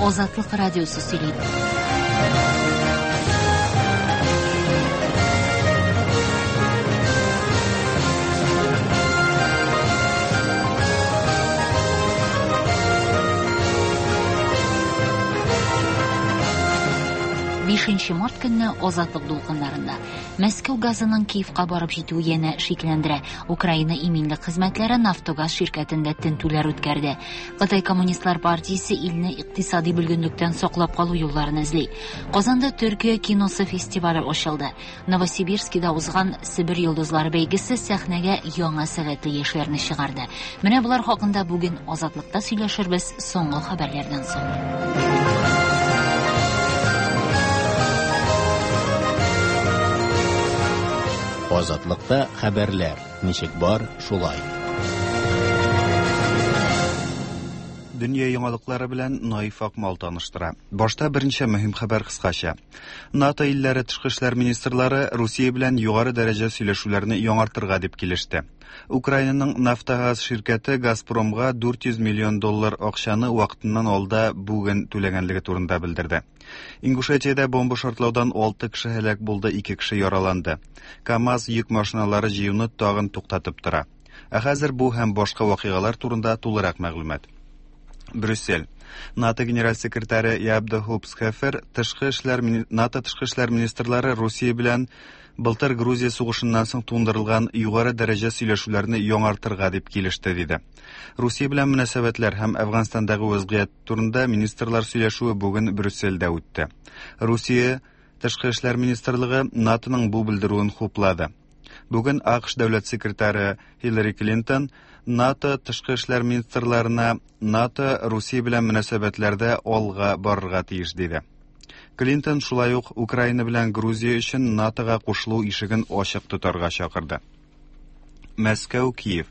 Азатлык радиосы сөйли. Бишенче март көнне Азатлык дулкыннарында Мәскәү газының Киевка барып җитүе янә шикләндерә. Украина иминлек хезмәтләре Нафтогаз ширкәтендә тентүләр үткәрде. Кытай Коммунистлар партиясе илне икътисади бөлгенлектән саклап калу юлларын эзли. Казанда Төркия киносы фестивале ачылды. Новосибирскида узган Себер йолдызлары бәйгесе сәхнәгә яңа сәләтле яшьләрне чыгарды. Менә болар хакында бүген Азатлыкта сөйләшербез соңгы хәбәрләрдән соң. Азатлыкта хәбәрләр ничек бар, шулай. Дөнья яңалыклары белән Наиф Акмал таныштыра. Башта берничә мөһим хәбәр кыскача. НАТО илләре тышкы эшләр министрлары Русия белән югары дәрәҗә сөйләшүләрне яңартырга дип килеште. Украинаның Нафтогаз ширкәте Газпромга 400 миллион доллар акчаны вакытыннан алда бүген түләгәнлеге турында белдерде. Ингушетиядә бомба шартлаудан 6 кеше һәлак булды, 2 кеше яраланды. КАМАЗ йөк машиналары җыюны тагын туктатып тора. Ә хәзер бу һәм башка вакыйгалар турында тулырак мәгълүмат. Брюссель. НАТО генераль секретаре Яб де Хупсхефер тышкы эшләр НАТО тышкы эшләр министрлары Русия белән былтыр Грузия сугышыннан соң туңдырылган югары дәрәҗә сөйләшүләрне яңартырга дип килеште, диде. Русия белән мөнәсәбәтләр һәм Әфганстандагы вәзгыять турында министрлар сөйләшүе бүген Брюссельдә үтте. Русия Тышкы эшләр министрлыгы НАТОның бу белдерүен хуплады. Бүген АКШ дәүләт секретаре Хиллари Клинтон НАТО тышкы эшләр министрларына НАТО Русия белән мөнәсәбәтләрдә алга барырга тиеш диде. Клинтон шулай ук Украина белән Грузия өчен НАТОга кушылу ишеген ачык тотарга чакырды. Мәскәү, Киев.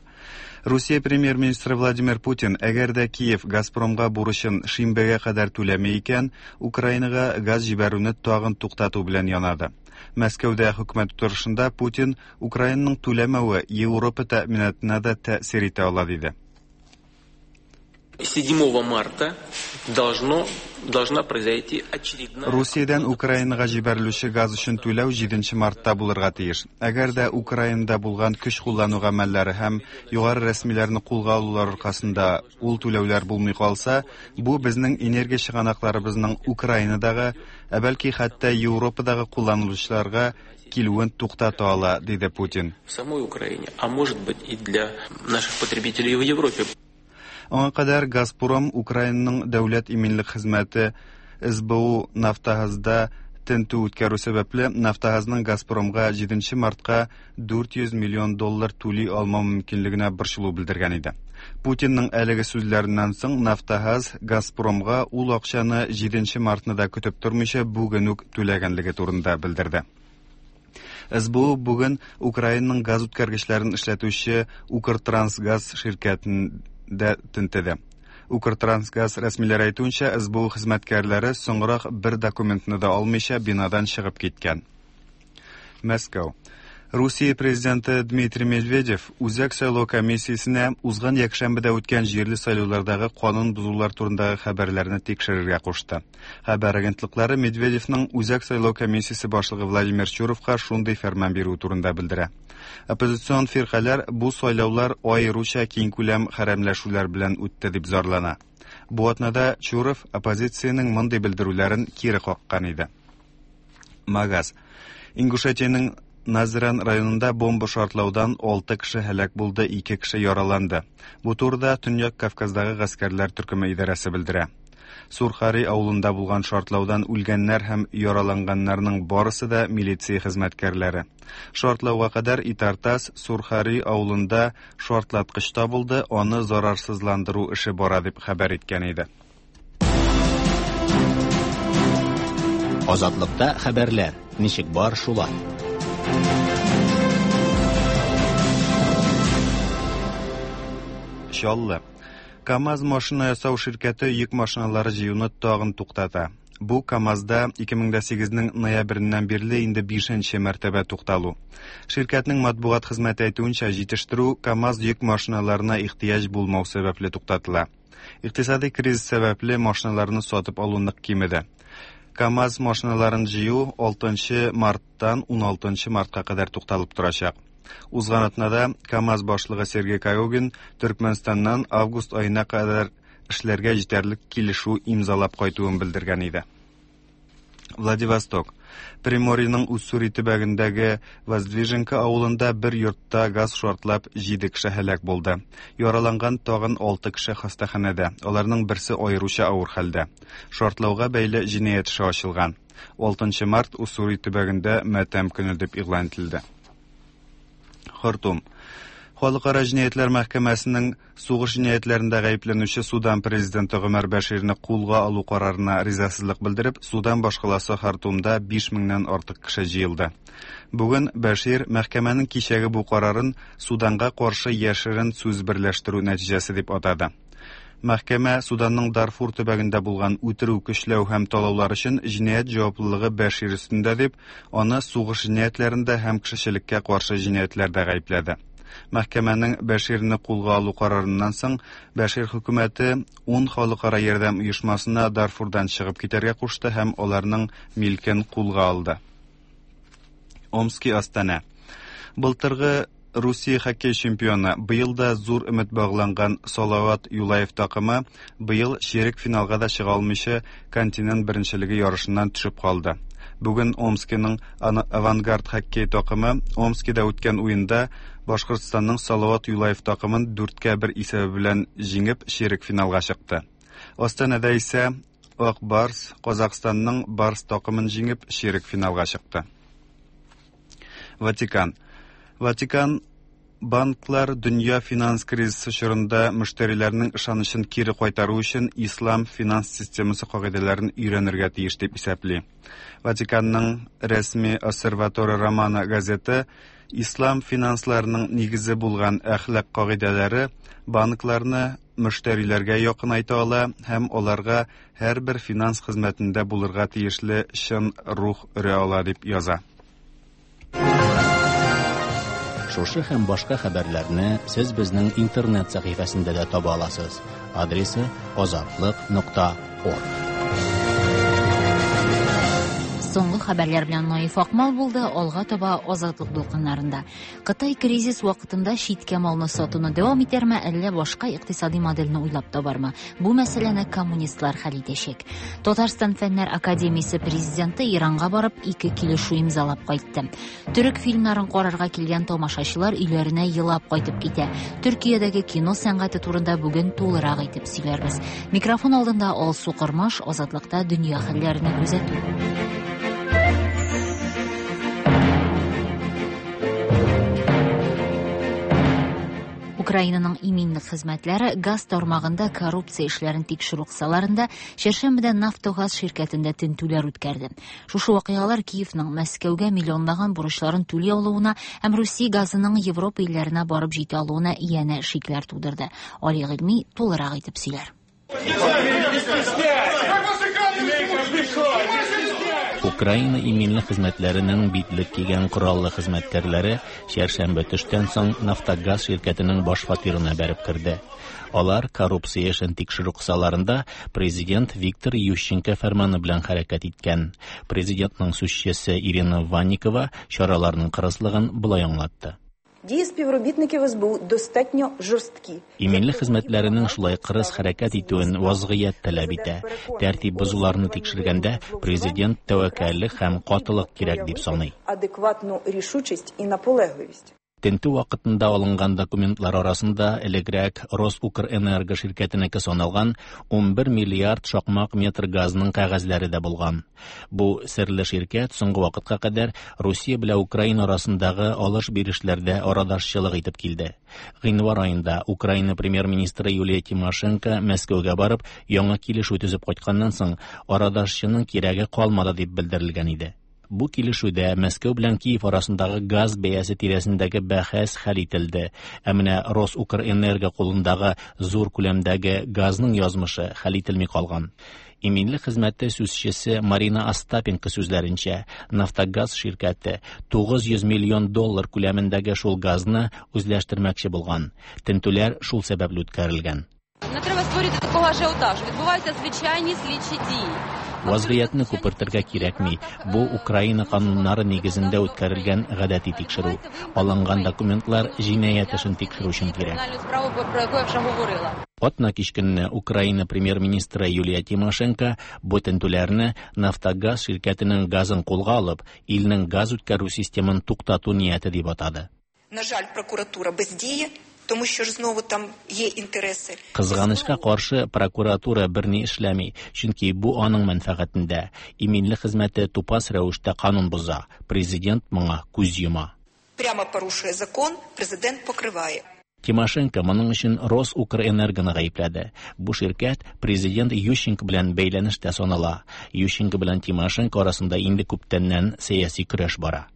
Русия премьер-министры Владимир Путин, әгәр дә Киев Газпромга бурычын шимбәгә кадәр түләми икән, Украинага газ җибәрүне тагын туктату белән янады. Мәскәүдә хөкүмәт утырышында Путин Украинаның түләмәве Европа тәэминатына да тәэсир итә ала диде. 7 марта должно, должна произойти очередная... Русиядән Украинага җибәрелүче газ өчен түләү 7 мартта булырга тиеш. Әгәр дә Украинада булган көч куллану гамәлләре һәм югары рәсмиләрне кулга алулар аркасында ул түләүләр булмый калса, бу безнең энергия чыганакларыбызның Украинадагы, ә бәлки хәтта Европадагы кулланылучыларга килүен туктата ала, диде Путин. В самой Украине, а может быть и для наших потребителей в Европе. Аңа кадәр Газпром Украинаның дәүләт иминлек хезмәте СБУ Нафтогазда тентү үткәрү сәбәпле Нафтогазның Газпромга 7 мартка 400 миллион доллар түли алмау мөмкинлегенә борчылу белдергән иде. Путинның әлеге сүзләреннән соң Нафтогаз Газпромга ул акчаны 7 мартны да көтеп тормыйча бүген үк түләгәнлеге турында белдерде. СБУ бүген Украинаның газ үткәргечләрен эшләтүче Укртрансгаз ширкәтендә тентеде. Укртрансгаз рәсмиләре әйтүенчә, СБУ хезмәткәрләре соңрак бер документны да алмыйча бинадан чыгып киткән. Мәскәү. Русия президенты Дмитрий Медведев Үзәк сайлау комиссиясенә узган якшәмбедә үткән җирле сайлаулардагы канун бозулар турындагы хәбәрләрне тикшерергә кушты. Хәбәр агентлыклары Медведевның Үзәк сайлау комиссиясе башлыгы Владимир Чуровка шундый фәрман бирүе турында белдерә. Оппозицион фиркаләр бу сайлаулар аеруча киңкүләм хәрәмләшүләр белән үтте дип зарлана. Бу атнада Чуров оппозициянең мондый белдерүләрен кире каккан иде. Магаз. Ингушетиянең Назран районында бомба шартлаудан 6 кеше һәлак булды, 2 кеше яраланды. Бу турыда Төньяк Кавказдагы гаскәрләр төркеме идарәсе белдерә. Сурхари авылында булган шартлаудан үлгәннәр һәм яраланганнарның барысы да милиция хезмәткәрләре. Шартлауга кадәр Итартас Сурхари авылында шартлаткыч табылды, аны зарарсызландыру эше бара дип хәбәр иткән иде. Азатлыкта хәбәрләр ничек бар шулай. Чаллы. КАМАЗ машина ясау ширкәте йөк машиналары җыюны тагын туктата. Бу КАМАЗда 2008-нең ноябреннән бирле инде бишенче мәртәбә тукталу. Ширкәтнең матбугат хезмәте әйтүенчә, җитештерү КАМАЗ йөк машиналарына ихтыяҗ булмау сәбәпле туктатыла. Икътисади кризис сәбәпле машиналарны сатып алу нык кимеде. КАМАЗ машиналарын җыю 6 марттан 16 мартка кадәр тукталып торачак. Узган атнада КАМАЗ башлыгы Сергей Когогин Төркмәнстаннан август аена кадәр эшләргә җитәрлек килешү имзалап кайтуын белдергән иде. Владивосток. Приморьеның Уссури төбәгендәге Воздвиженка авылында бер йортта газ шартлап 7 кеше һәлак булды. Яраланган тагын 6 кеше хастаханәдә. Аларның берсе аеруча авыр хәлдә. Шартлауга бәйле җинаять эше ачылган. 6 март Уссури төбәгендә матәм көне дип игълан ителде. Хартум. Халыкара җинаятьләр мәхкәмәсенең сугыш җинаятьләрендә гаепләнүче Судан президенты Гомәр Бәширне кулга алу карарына ризасызлык белдереп, Судан башкаласы Хартумда 5 меңнән артык кеше җыелды. Бүген Бәшир мәхкәмәнең кичәге бу карарын Суданга каршы яшерен сүз берләштерү нәтиҗәсе дип атады. Мәхкәмә Суданның Дарфур төбәгендә булган үтерү, көчләү һәм талаулар өчен җинаять җаваплылыгы Бәшир өстендә дип, аны сугыш җинаятьләрендә һәм кешечелеккә каршы җинаятьләрдә гаепләде. Мәхкәмәнең Бәширне кулга алу карарыннан соң Бәшир хөкүмәте 10 халыкара ярдәм оешмасына Дарфурдан чыгып китәргә кушты һәм аларның милкен кулга алды. Омски Астана. Былтыргы Русия хоккей чемпионы, быел да зур өмет багланган Салават Юлаев такымы быел чирек финалга да чыга алмыйча континент беренчелеге ярышыннан төшеп калды. Бүген Омскиның Авангард хоккей такымы Омскида үткән уенда Башкортстанның Салават Юлаев такымын 4-1 исәбе белән җиңеп чирек финалга чыкты. Астанада исә Ак Барс Казахстанның Барс такымын җиңеп чирек финалга чыкты. Ватикан. Ватикан банклар дөнья финанс кризисы чорында мөштәриләрнең ышанычын кире кайтару өчен ислам финанс системасы кагыйдәләрен өйрәнергә тиеш дип исәпли. Ватиканның рәсми Осservatore Romano газеты ислам финансларының нигезе булган әхлак кагыйдәләре банкларны мөштәриләргә якынайта ала һәм аларга һәрбер финанс хезмәтендә булырга тиешле чын рух өрә ала дип яза. Шушы һәм башка хәбәрләрне сез безнең интернет сәхифәсендә дә таба аласыз. Адресы azatliq.org. Соңгы хәбәрләр белән Наиф Акмал булды, алга таба Азатлык дулкыннарында. Кытай кризис вакытында читкә малны сатуны дәвам итәрме, әллә башка икътисади модельне уйлап табармы? Бу мәсьәләне коммунистлар хәл итәчәк. Татарстан Фәннәр академиясе президенты Иранга барып 2 килешү имзалап кайтты. Төрек фильмнарын карарга килгән тамашачылар өйләренә елап кайтып китә. Төркиядәге кино сәнгате турында бүген тулырак итеп сөйләрбез. Микрофон алдында Алсу Кормаш, Азатлыкта дөнья хәлләренә күзәтү. Украинаның иминлек хезмәтләре газ тармагында коррупция эшләрен тикшерү кысаларында чәршәмбедә Нафтогаз ширкәтендә тентүләр үткәрде. Шушы вакыйгалар Киевның Мәскәүгә миллионлаган бурычларын түли алуына һәм Русия газының Европа илләренә барып җитә алуына янә шикләр тудырды. Али Гыйльми тулырак итеп сөйләр. Украина иминлек хезмәтләренең битлек кигән кораллы хезмәткәрләре чәршәмбе төштән соң Нафтогаз ширкәтенең баш фатирына бәреп керде. Алар коррупция эшен тикшерү кысаларында президент Виктор Ющенко фәрманы белән хәрәкәт иткән. Президентның сүзчесе Ирина Ванникова чараларның кырыслыгын болай аңлатты. Дії співробітників СБУ достатньо жорсткі. Иминлек хезмәтләренең шулай кырыс хәрәкәт итүен вазгыять таләп итә. Тәртип бозуларны тикшергәндә президент тәвәккәллек һәм катылык кирәк дип саный. Адекватну рішучість і наполегливість. Тентү вакытында алынган документлар арасында элегрәк Росукрэнерго ширкәтенеке саналган 11 миллиард шакмак метр газның кәгазьләре дә булган. Бу серле ширкәт соңгы вакытка кадәр Русия белән Украина арасындагы алыш-бирешләрдә арадашчылык итеп килде. Гыйнвар аенда Украина премьер-министры Юлия Тимошенко Мәскәүгә барып яңа килешү төзеп кайтканнан соң арадашчының кирәге калмады дип белдерелгән иде. Бу килешүдә Мәскәү белән Киев арасындагы газ бәясе тирәсендәге бәхәс хәл ителде. Ә менә Росукрэнерго кулындагы зур күләмдәге газның язмышы хәл ителми калган. Иминлек хезмәте сүзчесе Марина Остапенко сүзләренчә, Нафтогаз ширкәте 900 миллион доллар күләмендәге шул газны үзләштермәкче булган. Тентүләр шул сәбәпле үткәрелгән. Не треба створювати такого ажіотажу. Відбуваються звичайні слідчі дії. Вазгыятьне күпертергә кирәкми. Бу Украина кануннары нигезендә үткәрелгән гадәти тикшерү. Алынган документлар җинаять эшен тикшерү өчен кирәк. Кримінальну справу, про яку я вже говорила. Атна кич көнне Украина премьер-министры Юлия Тимошенко бу тентүләрне Нафтогаз ширкәтенең газын кулга алып, илнең газ үткәрү системын туктату нияте дип атады. На жаль, прокуратура бездіє, тому що ж знову там є інтереси. Кызганычка каршы, прокуратура берни эшләми, чөнки бу аның мәнфәгатендә. Иминлек хезмәте тупас рәвештә канун боза. Президент моңа күз йома. Прямо порушує закон, президент покриває. Тимошенко моның өчен Росукрэнергоны гаепләде. Бу ширкәт президент Ющенко белән бәйләнештә санала. Ющенко белән Тимошенко арасында инде күптәннән сәяси көрәш бара.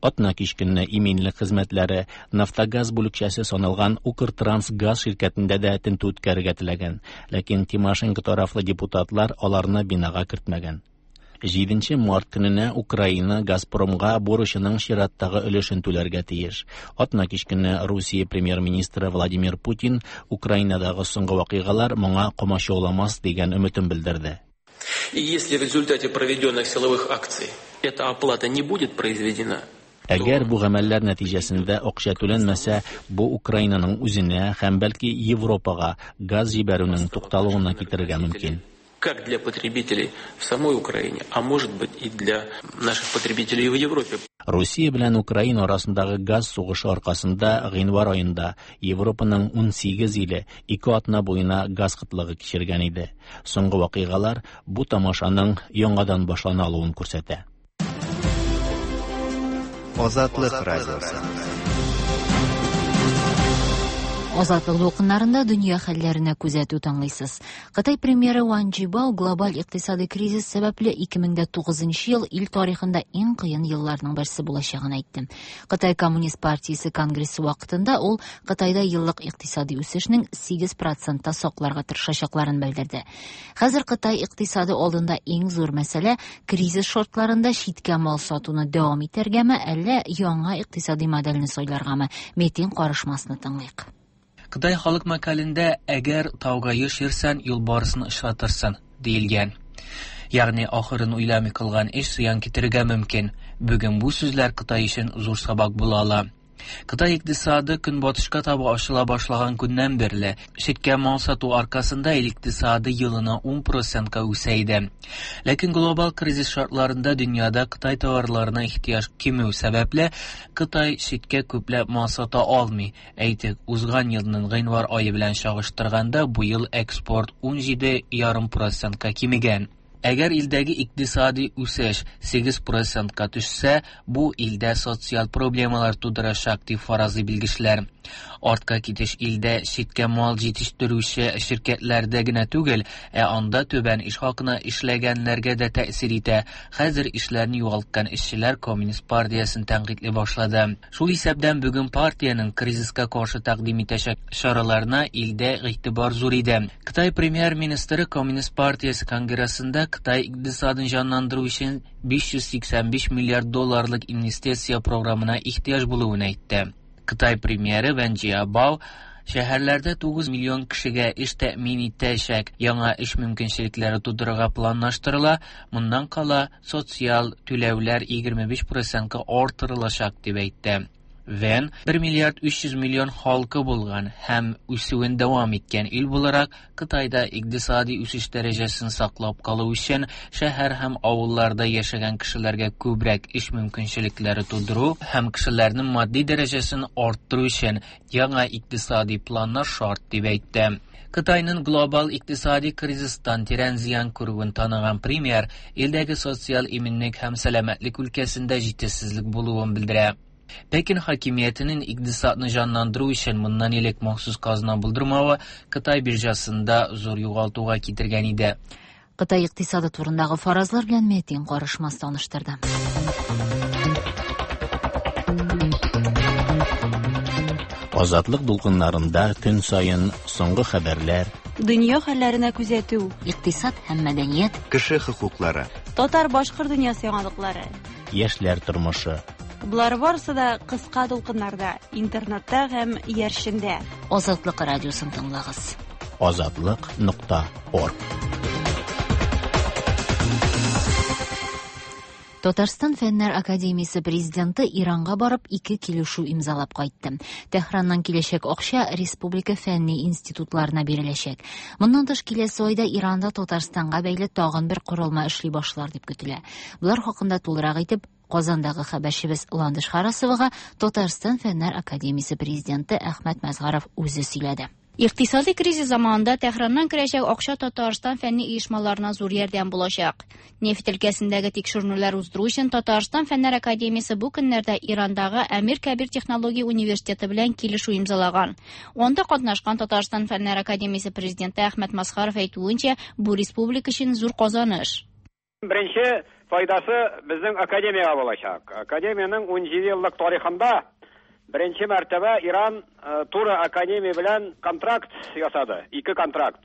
Атна кич көнне иминлек хезмәтләре Нафтогаз бүлекчәсе саналган Укртрансгаз ширкәтендә дә тентү үткәрергә теләгән, ләкин Тимошенко тарафлы депутатлар аларны бинага кертмәгән. 7 март көненә Украина Газпромга бурычының чираттагы өлешен түләргә тиеш. Атна кич көнне Русия премьер-министры Владимир Путин Украинадагы соңгы вакыйгалар моңа комачауламас дигән өметен белдерде. И если в результате проведенных силовых акций эта оплата не будет произведена, Әгәр бу гамәлләр нәтиҗәсендә акча түләнмәсә, бу Украинаның үзенә һәм бәлки Европага газ җибәрүнең тукталуына китерергә мөмкин. Как для потребителей в самой Украине, а может быть и для наших потребителей в Европе. Русия белән Украина арасындагы газ сугышы аркасында гыйнвар аенда Европаның 18 иле 2 атна буена газ кытлыгы кичергән иде. Соңгы вакыйгалар бу тамашаның яңадан башлана алуын күрсәтә. Азатлык радиосы. Азатлык дулкыннарында дөнья хәлләренә күзәтү тыңлыйсыз. Кытай премьеры Ван Джибао глобаль икътисадый кризис сәбәпле 2009 ел ил тарихында иң кыен елларның берсе булачагын әйтте. Кытай Коммунист партиясе конгрессы вакытында ул Кытайда еллык икътисадый үсешнең 8%та сакларга тырышачакларын белдерде. Хәзер Кытай икътисады алдында иң зур мәсьәлә кризис шартларында читкә мал сатуны дәвам итәргәме, әллә яңа икътисадый модельне сайларгамы? Метин карышмасны тыңлыйк. Кытай халык мәкалендә әгәр тауга еш йөрсәң, юлбарысны очратырсың, диелгән. Ягъни ахырын уйламый кылган эш зыян китерергә мөмкин. Бүген бу сүзләр Кытай өчен зур сабак була ала. Кытай икътисады көнбатышка таба ачыла башлаган көннән бирле читкә мал сату аркасында ил икътисады елына 10%ка үсә иде. Ләкин глобал кризис шартларында дөньяда Кытай товарларына ихтыяҗ кимү сәбәпле, Кытай читкә күпләп мал сата алмый. Әйтик, узган елның гыйнвар ае белән чагыштырганда бу ел экспорт 17,5%ка кимегән. Әгәр илдәге икътисади үсеш 8%ка төшсә, бу илдә социаль проблемалар тудырачак дип фаразлый белгечләр. Артка китеш илдә читкә мал җитештерүче ширкәтләрдә генә түгел, ә анда түбән эш хакына эшләгәннәргә дә тәэсир итә. Хәзер эшләрен югалткан эшчеләр Коммунист партиясен тәнкыйтьли башлады. Шул исәптән бүген партиянең кризиска каршы тәкъдим итәчәк чараларына илдә игътибар зур иде. Кытай премьер-министры Коммунист партиясе конгрессында Кытай икътисадын җанландыру өчен 585 миллиард долларлык инвестиция программына ихтыяҗ булуын әйтте. Кытай премьеры Ван Джиабао шәһәрләрдә 9 миллион кешегә эш тәэмин итәчәк яңа эш мөмкинчелекләре тудырырга планлаштырыла. Моннан кала социаль түләүләр 25%ка арттырылачак дип әйтте. Вен 1 миллиард 300 миллион халкы булган һәм үсүен дәвам иткән ил буларак, Кытайда икътисади үсеш дәрәҗәсен саклап калу өчен шәһәр һәм авылларда яшәгән кешеләргә күбрәк эш мөмкинчелекләре тудыру һәм кешеләрнең матди дәрәҗәсен арттыру өчен яңа икътисади планнар шарт дип әйтте. Кытайның глобал икътисади кризистан тирән зыян күрүен таныган премьер илдәге социаль иминлек һәм сәламәтлек өлкәсендә җитешсезлек булуын белдерә. Пекин хакимиятенең икътисадны җанландыру өчен моннан элек махсус казна булдырмавы Кытай биржасында зур югалтуга китергән иде. Кытай икътисады турындагы фаразлар белән Метин карышмас таныштырды. Азатлык дулкыннарында көн саен соңгы хәбәрләр, Дөнья хәлләренә күзәтү, икътисад һәм мәдәният, Кеше хокуклары. Татар-башкорт дөньясы яңалыклары. Яшьләр тормышы. Болар барысы да кыска дулкыннарда, интернетта һәм иярчендә. Азатлык радиосын тыңлагыз. Азатлык.орг. Татарстан Фәннәр академиясе президенты Иранга барып ике килешү имзалап кайтты. Тәһраннан киләчәк акча республика фәнни институтларына биреләчәк. Моннан тыш киләсе айда Иранда Татарстанга бәйле тагын бер корылма эшли башлар дип көтелә. Болар хакында тулырак итеп Казандагы хәбәрчебез Ландыш Харасовага Татарстан Фәннәр академиясе президенты Әхмәт Мәзгаров үзе сөйләде. Икътисади кризис заманында Тәһраннан керәчәк акча Татарстан фәнни оешмаларына зур ярдәм булачак. Нефть өлкәсендәге тикшеренүләр уздыру өчен Татарстан Фәннәр академиясе бу көннәрдә Ирандагы Әмир Кәбир технология университеты белән килешү имзалаган. Анда катнашкан Татарстан Фәннәр академиясе президенты Әхмәт Масхаров әйтүенчә, бу республика өчен зур казаныш. Беренче файдасы безнең академиягә булачак. Академиянең 17 еллык тарихында беренче мәртәбә Иран туры академия белән контракт ясады. Ике контракт.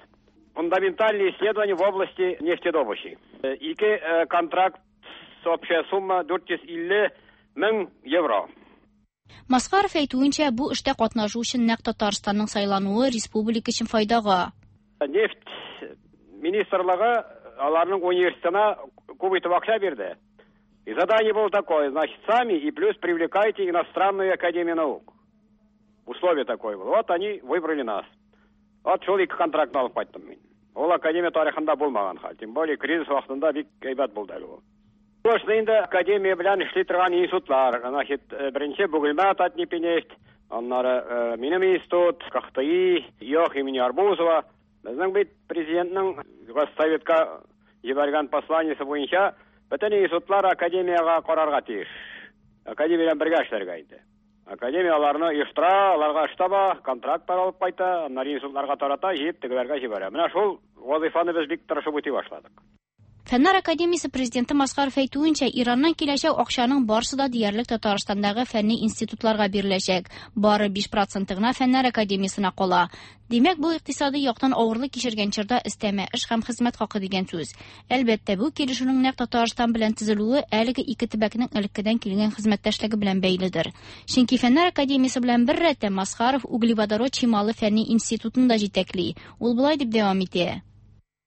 Фундаментальные исследования в области нефтедобычи. Ике контракт, общая сумма 450 мең евро. Масхаров әйтүенчә, бу эштә катнашу өчен нәкъ Татарстанның сайлануы республика өчен файдага. Нефть министрлыгы аларның университетына күп итеп акча бирде. И задание было такое, значит, сами и плюс привлекайте иностранную академию наук. Условие такое было. Вот они выбрали нас. Вот шул ике контрактны алып кайттым мин. Ул академия тарихында булмаган хәл. Тем более кризис вакытында бик әйбәт булды әле ул. Шуны инде академия белән эшли торган институтлар, значит, беренче Бөгелмә Татнефть, аннары минем институт, КХТИ, ЙОХ имени Арбузова. Безнең бит президентның Госсоветка җибәргән посланиесе буенча бөтен институтлар академиягә карарга тиеш. Академия белән бергә эшләргә инде. Академия аларны оештыра, аларга эш таба, контрактлар алып кайта, аннары институтларга тарата, җыеп тегеләргә җибәрә. Менә шул вазифаны без бик тырышып үти башладык. Фәннәр академиясе президенты Масхаров әйтүенчә, Ираннан киләчәк акчаның барысы да диярлек Татарстандагы фәнни институтларга биреләчәк. Бары 5% гына Фәннәр академиясенә кала. Димәк, бу икътисади яктан авырлык кичергән чорда өстәмә эш һәм хезмәт хакы дигән сүз. Әлбәттә, бу килешүнең нәкъ Татарстан белән төзелүе әлеге ике төбәкнең элеккедән килгән хезмәттәшлеге белән бәйледер. Чөнки Фәннәр академиясе белән бер рәттән Масхаров углеводород чималы фәнни институтын да җитәкли. Ул болай дип дәвам итә.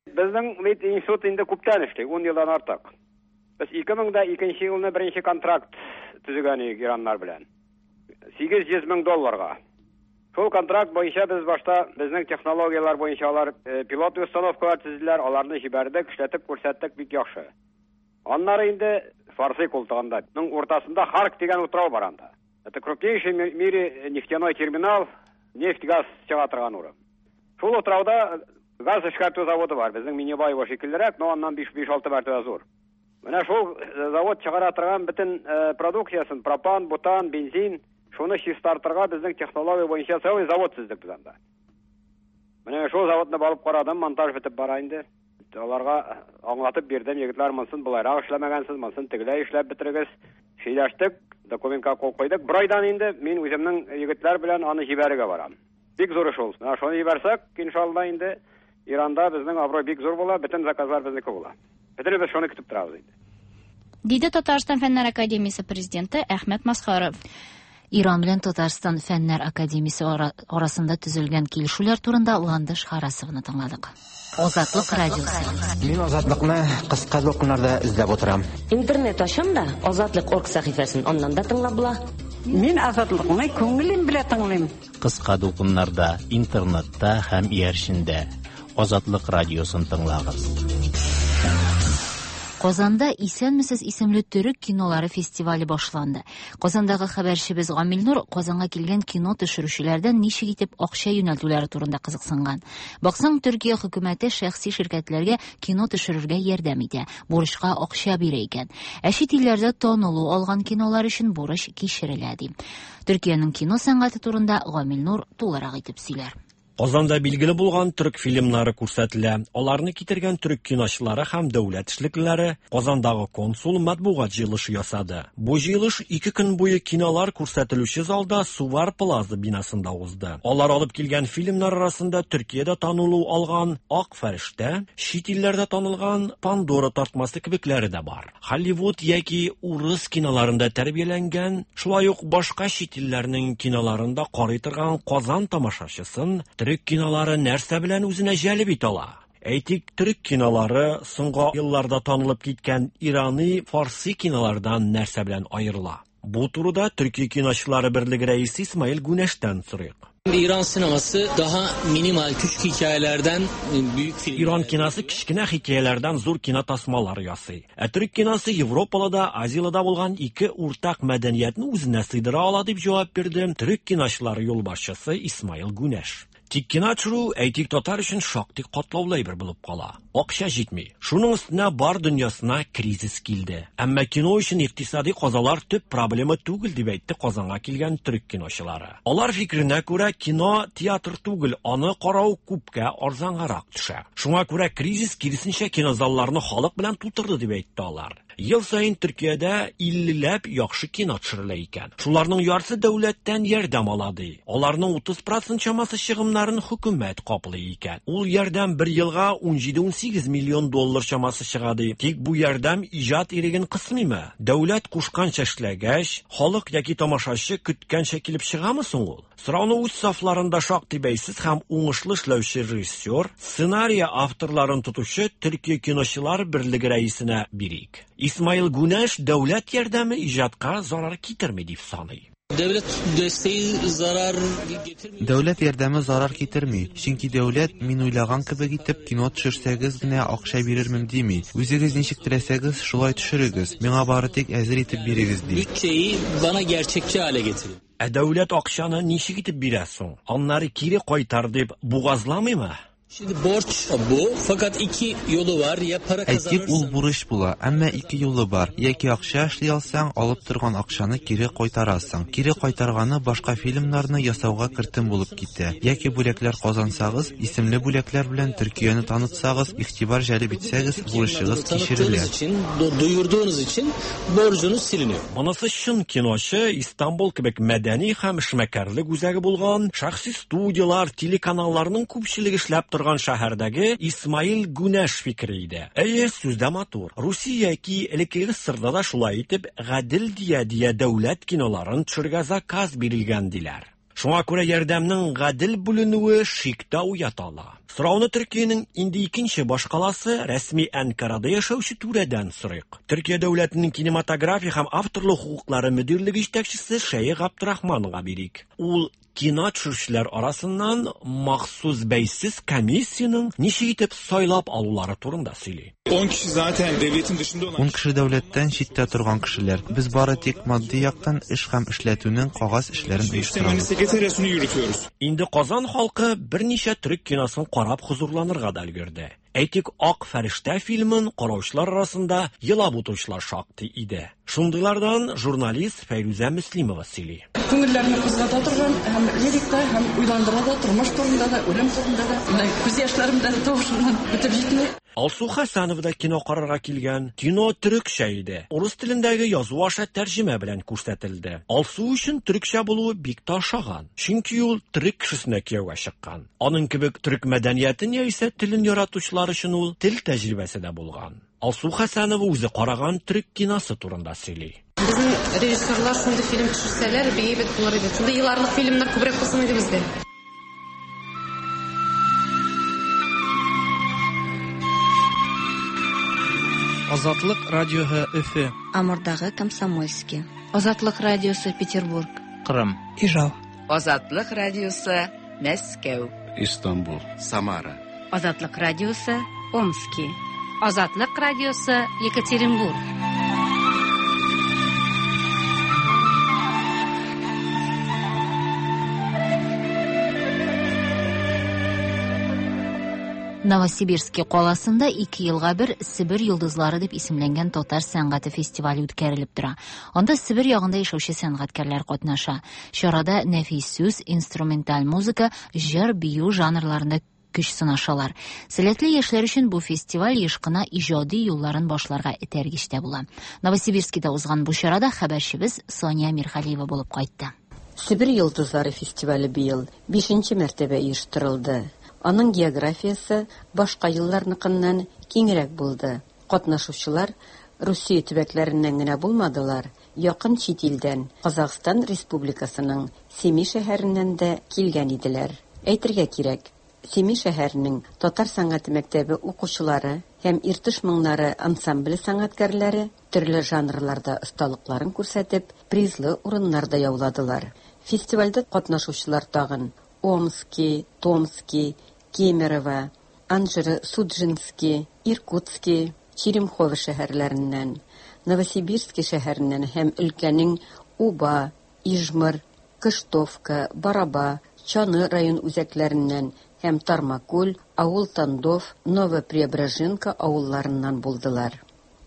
Безнең бит институт инде күптән эшли, 10 елдан артык. Без 2002 елны беренче контракт төзегән идек ираннар белән. 800 мең долларга. Шул контракт буенча без башта безнең технологияләр буенча алар пилот установкалар төзеделәр, аларны җибәрдек, эшләтеп күрсәттек, бик яхшы. Аннары инде Фарсы култыгында, ның уртасында Харк дигән утрау бар анда. Это крупнейший в мире нефтяной терминал, нефть-газ чыга торган урын. Шул утрауда газ эшкәртү заводы бар. Безнең Минибаево шикеллерәк, но аннан 5-6 мәртәбә зур. Менә шул завод чыгара торган бөтен продукциясын, пропан, бутан, бензин, шуны чистартырга безнең технология буенча целый завод төзедек без анда. Менә шул заводны барып карадым, монтаж бетеп бара инде. Аларга аңлатып бирдем, егетләр, монысын болайрак эшләмәгәнсез, монысын тегеләй эшләп бетерегез. Сөйләштек, документка кул куйдык. Бер айдан инде мин үземнең егетләр белән аны җибәрергә барам. Бик зур эш ул. Менә шуны җибәрсәк, иншалла инде Иранда безнең абруй бик зур була, бөтен заказлар безнеке була. Бөтенебез шуны көтеп торабыз инде. Диде Татарстан Фәннәр академиясе президенты Әхмәт Масхаров. Иран белән Татарстан Фәннәр академиясе арасында төзелгән килешүләр турында Ландыш Харасовны тыңладык. Азатлык радиосы. Мин Азатлыкны кыска дулкыннарда эзләп утырам. Интернет ачам да, Азатлык.орг сәхифәсен аннан да тыңлап була. Мин Азатлыкны күңелем белән тыңлыйм. Кыска дулкыннарда, интернетта һәм иярчендә. Азатлык радиосын тыңлагыз. Казанда Исәнмесез исемле төрек кинолары фестивале башланды. Казандагы хәбәрчебез Гамил Нур Казанга килгән кино төшерүчеләрдән ничек итеп акча юнәлтүләре турында кызыксынган. Баксаң, Төркия хөкүмәте шәхси ширкәтләргә кино төшерергә ярдәм итә, бурычка акча бирә икән. Ә чит илләрдә танылу алган кинолар өчен бурыч кичерелә, ди. Төркиянең кино сәнгате турында Гамил Нур тулырак итеп сөйләр. Казанда билгеле булган төрек фильмнары күрсәтелә. Аларны китергән төрек киночылары һәм дәүләт эшлеклеләре Казандагы консул матбугат җыелышы ясады. Бу җыелыш 2 көн буе кинолар күрсәтелүче залда Сувар Плаза бинасында узды. Алар алып килгән фильмнар арасында Төркиядә танылу алган Ак фәрештә, чит илләрдә танылган Пандора тартмасы кебекләре дә бар. Hollywood яки урыс киноларында тәрбияләнгән, шулай ук башка чит илләрнең киноларында карый торган Казан тамашачысын төрек Төрек кинолары нәрсә белән үзенә җәлеп итә ала? Әйтик, төрек кинолары соңгы елларда танылып киткән ирани, фарси кинолардан нәрсә белән аерыла? Бу турыда Төркия киночылары берлеге рәисе Исмаил Гүнәштән сорыйк. İran sineması daha minimal küçük hikayelerden büyük film. Иран киносы кечкенә хикәяләрдән зур кино тасмалары ясый. Ә төрек киносы Европада да, Азиядә дә булган ике уртак мәдәниятне үзенә сыйдыра ала дип җавап бирде төрек киночылары юлбашчысы Исмаил Гүнәш. Тик кино төшерү, әйтик, татар өчен шактый катлаулы әйбер булып кала. Акча җитми. Шуның өстенә бар дөньясына кризис килде. Әмма кино өчен икътисади казалар төп проблема түгел дип әйтте Казанга килгән төрек киночылары. Алар фикеренә күрә, кино театр түгел, аны карау күпкә арзангарак төшә. Шуңа күрә кризис киресенчә кинозалларны халык белән тутырды дип әйтте алар. Ел саен Төркиядә 50ләп яхшы кино төшерелә икән. Шуларның яртысы дәүләттән ярдәм ала ди. Аларның 30% чамасы чыгымнарын хөкүмәт каплый икән. Ул ярдәм бер елга 17-18 миллион доллар чамасы чыга ди. Тик бу ярдәм иҗат иреген кысмыймы? Дәүләт кушканча эшләгәч, халык яки тамашачы көткәнчә килеп чыгамы соң ул? Сорауны үз сафларында шактый бәйсез һәм уңышлы эшләүче режиссер, сценария авторларын тотучы Төркия киночылар берлеге рәисенә бирик. Исмаил Гүнәш дәүләт ярдәме иҗатка зарар китерми дип саный. Devlet desteği zarar getirmiyor. Дәүләт ярдәме зарар китерми, чөнки дәүләт мин уйлаган кебек итеп кино төшерсәгез генә акча бирермен дими. Үзегез ничек теләсәгез, шулай төшерегез. Миңа бары тик әзер итеп бирегез ди. Bütçeyi bana gerçekçi hale getirin. Ә дәүләт акчаны ничек итеп бирә соң? Аннары кире кайтар дип бугазламыймы? Şimdi borç bu fakat iki yolu var ya para Әйтик, ул kazanırsan бурыч була, әмма ике юлы бар. Яки акча эшли алсаң, алып торган акчаны кире кайтарасың. Кире кайтарганы башка фильмнарны ясауга кертем булып китә. Яки бүләкләр казансагыз, исемле бүләкләр белән Төркияне танытсагыз, игътибар җәлеп итсәгез, бурычыгыз кичерелә. tanıttığınız için duyurduğunuz için borcunuz siliniyor. Монысы чын киночы Истанбул кебек мәдәни һәм эшмәкәрлек үзәге булган, шәхси студиялар, телеканалларның күпчелеге эшләп торган шәһәрдәге Исмаил Гүнәш фикере иде. Әйе, сүздә матур. Русия яки элеккеге СССРда да шулай итеп гадел дия-дия дәүләт киноларын төшерергә заказ бирелгән диләр. Шуңа күрә ярдәмнең гадел бүленүе шик тә уята ала. Сорауны Төркиянең инде икенче башкаласы рәсми Әнкарада яшәүче түрәдән сорыйк. Төркия дәүләтенең кинематография һәм авторлык хокуклары мөдирлеге җитәкчесе Шәех Габдрахманга бирик. Ул кино төшерүчеләр арасыннан махсус бәйсез комиссиянең ничек итеп сайлап алулары турында сөйли. 10 kişi zaten devletin dışında olan 10 кеше дәүләттән читтә торган кешеләр. Без бары тик матди яктан эш һәм эшләтүнең кагаз эшләрен sistemini оештырабыз. sekreteryasını yürütüyoruz. Инде Казан халкы берничә төрек киносын карап хозурланырга да өлгерде. Әйтик, Ак фәрештә фильмын караучылар арасында елап утыручылар шактый иде. Шундыйлардан журналист Фәйрүзә Мөслимова сөйли. Күңелләрне кузгата торган һәм лирик та, һәм уйландыра да, тормыш турында да, үлем турында да. Менә күз яшьләрем дә тавышымнан бетеп җитми. Алсу Хәсәнова да кино карарга килгән. Кино төрекчә иде. Урыс телендәге язу аша тәрҗемә белән күрсәтелде. Алсу өчен төрекчә булуы бик тә ошаган. Чөнки ул төрек кешесенә кияүгә чыккан. Аның кебек төрек мәдәниятен яисә телен яратучылар өчен ул тел тәҗрибәсе дә булган. Алсу Хәсәнова үзе караган төрек киносы турында сөйли. Безнең режиссерлар шундый фильм төшерсәләр, бик әйбәт булыр иде. Шундый еларлык фильмнар күбрәк булсын иде бездә. Азатлык радиоһы Өфе. Амурдагы Комсомольский. Азатлык радиосы Петербург. Кырым. Ижау. Азатлык радиосы Мәскәү. Истанбул. Самара. Азатлык радиосы Омски. Азатлык радиосы Екатеринбург. Новосибирский каласында 2 елга бер Себер йолдызлары дип исемләнгән татар сәнгате фестивале үткәрелеп тора. Анда Себер ягында яшәүче сәнгатькәрләр катнаша. Чарада нәфис сүз, инструменталь музыка, җыр, бию жанрларында көч сынашалар. Сәләтле яшьләр өчен бу фестиваль еш кына иҗади юлларын башларга этәргеч тә була. Новосибирскида узган бу чарада хәбәрчебез Соня Мирхалиева булып кайтты. Себер йолдызлары фестивале быел 5 мәртәбә оештырылды. Аның географиясе башка елларныкыннан киңрәк булды. Катнашучылар Русия төбәкләреннән генә булмадылар, якын чит илдән, Казахстан Республикасының Семей шәһәреннән дә килгән иделәр. Әйтергә кирәк, Семи шәһәренең татар сәнгате мәктәбе укучылары һәм Иртыш моңнары ансамбле сәнгатькәрләре төрле жанрларда осталыкларын күрсәтеп, призлы урыннар да яуладылар. Фестивальдә катнашучылар тагын Омски, Томски, Кемерово, Анжеро-Судженски, Иркутски, Черемхово шәһәрләреннән, Новосибирски шәһәреннән һәм өлкәнең Уба, Ижмыр, Кыштовка, Бараба, Чаны район үзәкләреннән һәм Тармакүл, Авыл-Тандов, Ново-Преображенка авылларыннан булдылар.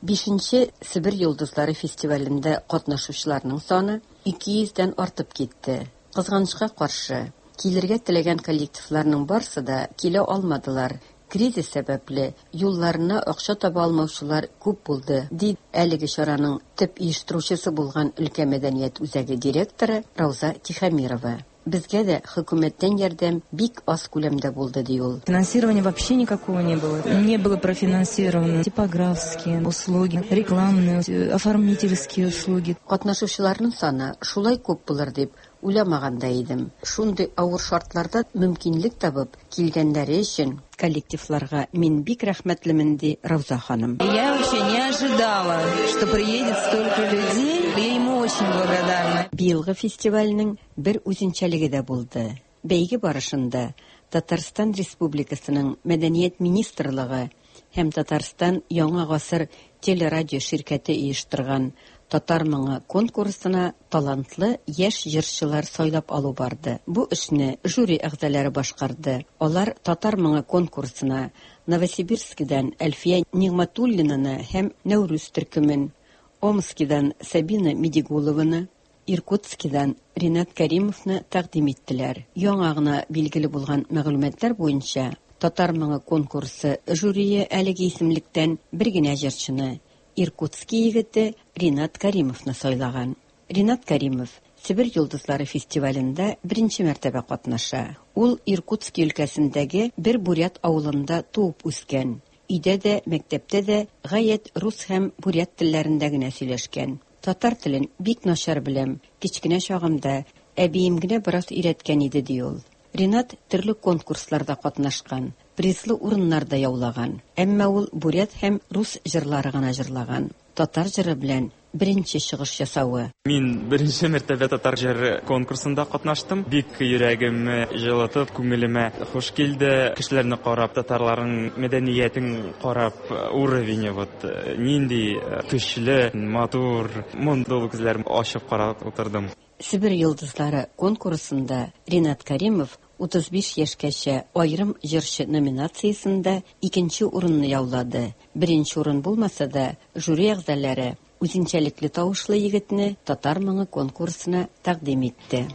Бишенче Себер йолдызлары фестивалендә катнашучыларның саны 200 дән артып китте. Кызганычка каршы, килергә теләгән коллективларның барсы да килә алмадылар, кризис сәбәпле, юлларына акча таба алмаучылар күп булды, ди әлеге чараның төп оештыручысы булган өлкә мәдәният үзәге директоры Рауза Тихомирова. Безгә дә хөкүмәттән ярдәм бик аз күләмдә булды, ди ул. Финансирования вообще никакого не было. Не было профинансировано типографские услуги, рекламные, оформительские услуги. Катнашучыларның саны шулай күп булыр дип уйламаган да идем. Шундый авыр шартларда мөмкинлек табып килгәннәре өчен коллективларга мин бик рәхмәтлемен, ди Рауза ханым. Я вообще не ожидала, что приедет столько людей. Я ему очень благодарна. Быелгы фестивальнең бер үзенчәлеге дә булды. Бәйге барышында Татарстан Республикасының Мәдәният министрлыгы һәм Татарстан Яңа гасыр телерадио ширкәте оештырган Татар моңы конкурсына талантлы яшь җырчылар сайлап алу барды. Бу эшне жюри әгъзалары башкарды. Алар Татар моңы конкурсына Новосибирскидан Әлфия Нигъмәтуллинаны һәм Нәүрүз төркемен, Омскидан Сабина Медигулованы, Иркутскидан Ринат Кәримовны тәкъдим иттеләр. Яңа гына билгеле булган мәгълүматлар буенча, Татар моңы конкурсы жюрие әлеге исемлектән бер генә җырчыны, Иркутски егете Ринат Кәримовны сайлаган. Ринат Кәримов Себер йолдызлары фестивалендә беренче мәртәбә катнаша. Ул Иркутски өлкәсендәге бер бурят авылында туып үскән. Өйдә дә, мәктәптә дә гаять рус һәм бурят телләрендә генә сөйләшкән. Татар телен бик начар беләм, кечкенә чагымда әбием генә бераз өйрәткән иде, ди ул. Ринат төрле конкурсларда катнашкан, призлы урыннар да яулаган. Әмма ул бурят һәм рус җырлары гына җырлаган. Татар җыры белән беренче чыгыш ясавы. Мин беренче мәртәбә татар җыры конкурсында катнаштым. Бик йөрәгемне җылытып, күңелемә хуш килде. Кешеләрне карап, татарларның мәдәниятен карап, уровень вот нинди көчле, матур, мондый күзләрем ачып карап утырдым. Себер йолдызлары конкурсында Ринат Кәримов 35 яшькәчә аерым җырчы номинациясендә икенче урынны яулады. Беренче урын булмаса да, жюри әгъзалары үзенчәлекле тавышлы егетне Татар моңы конкурсына тәкъдим итте.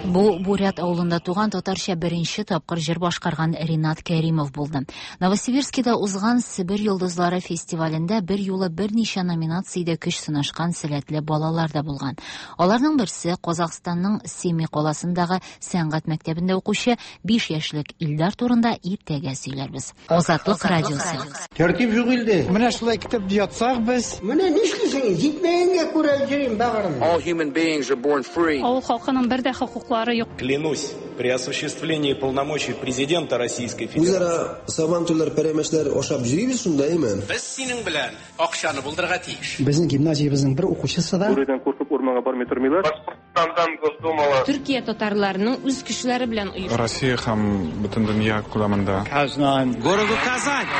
Бу Бурят авылында туган татарча беренче тапкыр җыр башкарган Ринат Кәримов булды. Новосибирскида узган Себер йолдызлары фестивалендә бер юлы берничә номинациядә көч сынашкан сәләтле балалар да булган. Аларның берсе Казахстанның Семей каласындагы сәнгать мәктәбендә укучы 5 яшьлек Илдар турында иртәгә сөйләрбез. Азатлык радиосы. Тәртип юк илдә. Менә шулай көтеп ятсак без. Менә нишлисең? Җитмәгәнгә күрә йөрим, бәгырем. All human beings are born free. Авыл халкының бер дә хокуклары юк. Клянусь, при осуществлении полномочий президента Российской Федерации. Үзара сабантуйлар, пәрәмәчләр ашап йөрибез шунда, әйме? Без синең белән акчаны булдырырга тиеш. Безнең гимназиябезнең бер укучысы да. Бүредән куркып урманга бармый тормыйлар. Башкортстандан Госдумала. Төркия татарларының үз көчләре белән оешты. Россия һәм бөтен дөнья күләмендә. Казан. Городу Казань.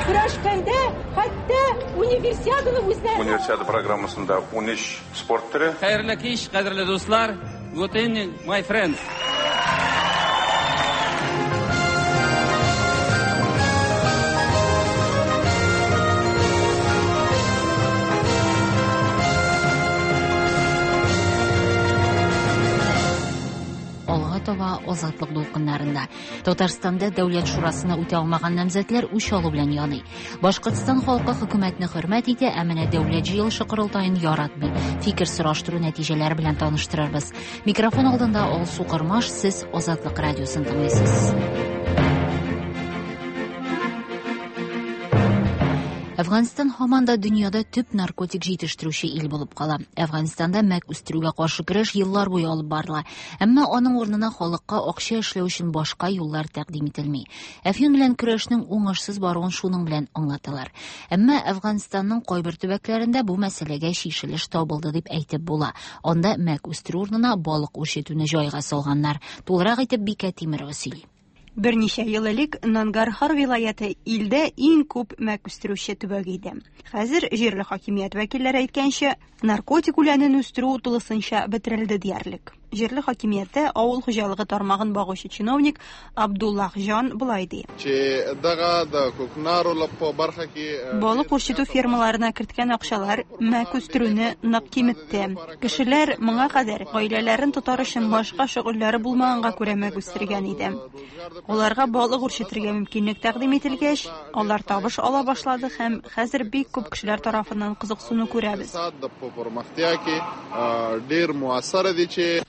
Көрәшкәндә хәтта универсиаданы үзләре. Универсиада программасында 13 спорт төре. Хәерле кич, кадерле дуслар. Good evening, my friends. Алга таба Азатлык дулкыннарында. Татарстанда Дәүләт шурасына үтә алмаган намзәтләр үч алу белән яный. Башкортстан халкы хөкүмәтне хөрмәт итә, ә менә Дәүләт җыелышы корылтаен яратмый. Фикер сораштыру нәтиҗәләре белән таныштырырбыз. Микрофон алдында Алсу Кормаш, сез Азатлык радиосын тыңлыйсыз. Әфганстан һаман да дөньяда төп наркотик җитештерүче ил булып кала. Әфганстанда мәк үстерүгә каршы көрәш еллар буе алып барыла. Әмма аның урынына халыкка акча эшләү өчен башка юллар тәкъдим ителми. Әфьюн белән көрәшнең уңышсыз баруын шуның белән аңлаталар. Әмма Әфганстанның кайбер төбәкләрендә бу мәсьәләгә чишелеш табылды дип әйтеп була. Анда мәк үстерү урынына балык үрчетүне җайга салганнар. Тулырак итеп Бикә Тимерова сөйли. Берничә ел элек Нангархар вилаяте илдә иң күп мәк үстерүче төбәк иде. Хәзер җирле хакимият вәкилләре әйткәнчә, наркотик үләнен үстерү тулысынча бетерелде диярлек. Җирле хакимияттә авыл хуҗалыгы тармагын багучы чиновник Абдуллах Җан болай ди. Балык үрчетү фермаларына керткән акчалар мәк үстерүне нык киметте. Кешеләр моңа кадәр гаиләләрен тотар өчен башка шөгыльләре булмаганга күрә мәк үстергән иде. Аларга балык үрчетергә мөмкинлек тәкъдим ителгәч, алар табыш ала башлады һәм хәзер бик күп кешеләр тарафыннан кызыксыну күрәбез.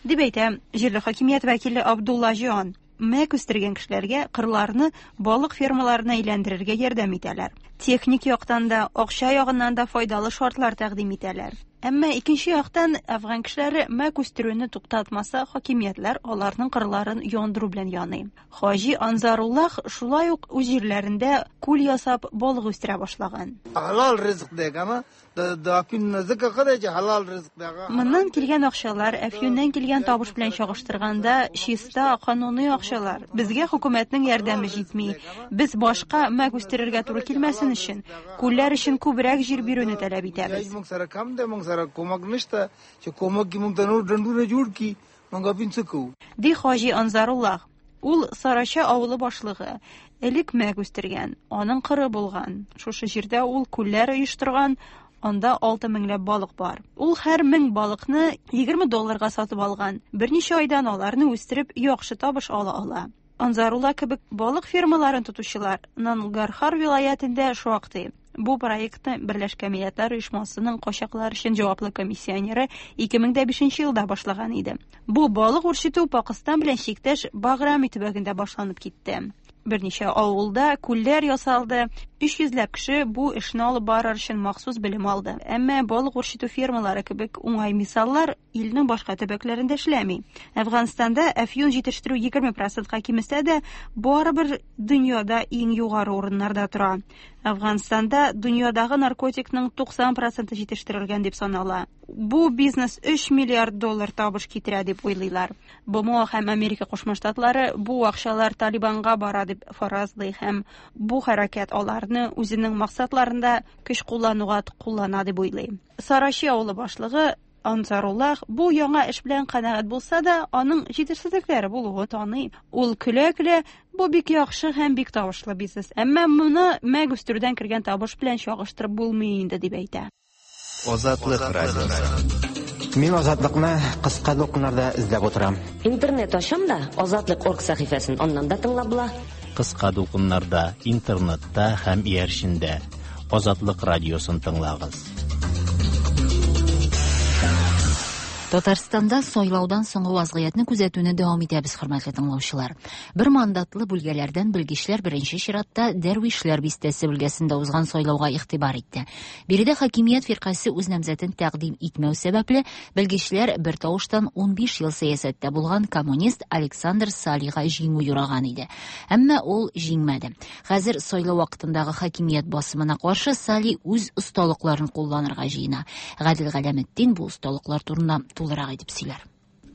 Дип әйтә җирле хакимият вәкиле Абдулла Җан. Мәк үстергән кешеләргә кырларны балык фермаларына әйләндерергә ярдәм итәләр. Техник яктан да, акча ягыннан да файдалы шартлар тәкъдим итәләр. Әмма икенче яктан, әфган кешеләре мәк үстерүне туктатмаса, хакимиятләр аларның кырларын яндыру белән яный. Хаҗи Анзаруллах шулай ук үз җирләрендә күл ясап балык үстерә башлаган. Моннан килгән акчалар әфьюннән килгән табыш белән чагыштырганда чиста, кануни акчалар. Безгә хөкүмәтнең ярдәме җитми. Без башка мәк үстерергә туры килмәсен өчен, күлләр өчен күбрәк җир бирүне таләп итәбез. Ди Хаҗи Анзаруллах. Ул Сарача авылы башлыгы. Элек мәк үстергән, аның кыры булган. Шушы җирдә ул күлләр оештырган, анда 6 меңләп балык бар. Ул һәр мең балыкны 20 долларга сатып алган. Берничә айдан аларны үстереп, яхшы табыш ала ала. Анзарула кебек балык фермаларын тотучылар Нангархар вилаятендә шактый. Бу проектны Берләшкән Милләтләр Оешмасының качаклар өчен җаваплы комиссионеры 2005 елда башлаган иде. Бу балык үрчетү Пакыстан белән чиктәш Баграми төбәгендә башланып китте. Берничә авылда күлләр ясалды. 300 ләп кеше бу эшне алып барыр өчен махсус белем алды. Әмма балык үрчетү фермалары кебек уңай мисаллар илнең башка төбәкләрендә эшләми. Әфганстанда әфьюн җитештерү 20%ка кимесә дә, барыбер дөньяда иң югары урыннарда тора. Әфганстанда дөньядагы наркотикның 90% җитештерелгән дип санала. Бу бизнес 3 миллиард доллар табыш китерә дип уйлыйлар. БМО һәм Америка Кушма Штатлары бу акчалар Талибанга бара дип фаразлый һәм бу хәрәкәт аларны үзенең максатларында көч куллануга куллана дип уйлый. Сарачи авылы башлыгы Ансаруллах бу яңа эш белән канәгать булса да, аның җитешсезлекләре булуын таный. Ул көлә-көлә, бу бик яхшы һәм бик табышлы бизнес, әмма моны мәк үстерүдән кергән табыш белән чагыштырып булмый инде, дип әйтә. Азатлык радиосы. Мин Азатлыкны кыска дулкыннарда эзләп утырам. Интернет ачам да, Азатлык орг сәхифәсен аннан да тыңлап була. Кыска дулкыннарда, интернетта һәм иярчендә Азатлык радиосын тыңлагыз. Татарстанда сайлаудан соңгы вазгыятьне күзәтүне дәвам итәбез, хөрмәтле тыңлаучылар. Бер мандатлы бүлгәләрдән белгечләр беренче чиратта Дәрвишләр бистәсе бүлгәсендә узган сайлауга игътибар итте. Биредә хакимият фиркасе үз намзәтен тәкъдим итмәү сәбәпле, белгечләр бер тавыштан 15 ел сәясәттә булган коммунист Александр Салига җиңү юраган иде. Әмма ул җиңмәде. Хәзер сайлау вакытындагы хакимият басымына каршы Сали үз осталыкларын кулланырга җыена. Гадел Галәметдин бу осталыклар турында тулырак итеп сөйләр.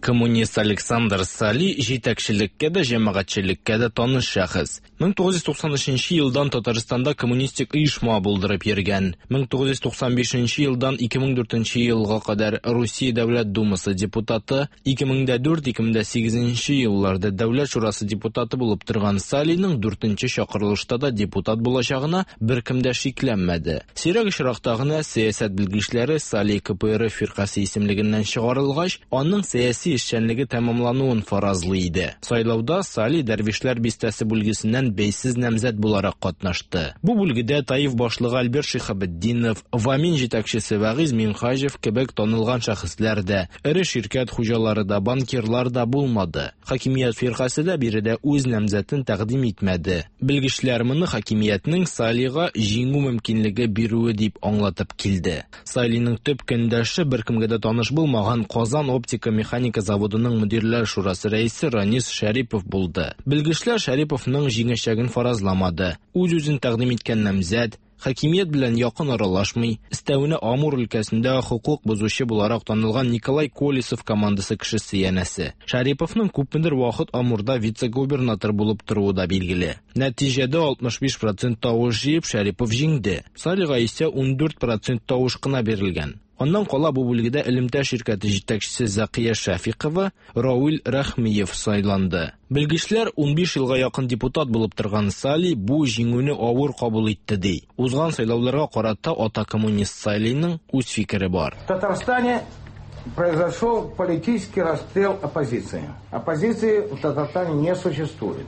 Коммунист Александр Сали җитәкчелеккә дә, җәмәгатьчелеккә дә таныш шәхес. 1993 елдан Татарстанда коммунистик оешма булдырып йөргән. 1995 елдан 2004 елга кадәр Русия Дәүләт Думасы депутаты, 2004-2008 елларда Дәүләт Шурасы депутаты булып торган Салиның 4нче чакырылышта да депутат булачагына беркем дә шикләнмәде. Сирәк очракта гына сәясәт белгечләре Сали КПРФ фиркасе исемлегеннән чыгарылгач, аның сәяси сәяси эшчәнлеге тәмамлануын фаразлый иде. Сайлауда Сали Дәрвишләр бистәсе бүлгесеннән бәйсез намзәт буларак катнашты. Бу бүлгедә Таиф башлыгы Альберт Шиһабетдинов, Вамин җитәкчесе Вагиз Минһаҗев кебек танылган шәхесләр дә, эре ширкәт хуҗалары да, банкирлар да булмады. Хакимият фиркасе дә биредә үз намзәтен тәкъдим итмәде. Белгечләр моны хакимиятнең Салига җиңү мөмкинлеге бирүе дип аңлатып килде. Салиның төп көндәше беркемгә дә таныш булмаган Казан оптика-механика заводының мөдирләр шурасы рәисе Ранис Шәрипов булды. Белгечләр Шәриповның җиңәчәген фаразламады. Үз-үзен тәкъдим иткән намзәт хакимият белән якын аралашмый, өстәвенә Амур өлкәсендә хокук бозучы буларак танылган Николай Колесов командасы кешесе янәсе. Шәриповның күпмедер вакыт Амурда вице-губернатор булып торуы да билгеле. Нәтиҗәдә 65% тавыш җыеп Шәрипов җиңде. Салига исә 14% тавыш кына бирелгән. Аннан кала бу бүлгедә элемтә ширкәте җитәкчесе Закия Шәфикова, Рауил Рәхмиев сайланды. Белгечләр 15 елга якын депутат булып торган Сали бу җиңүне авыр кабул итте ди. Узган сайлауларга карата ата коммунист Салиның үз фикере бар. В Татарстане произошел политический расстрел оппозиции. Оппозиции в Татарстане не существует.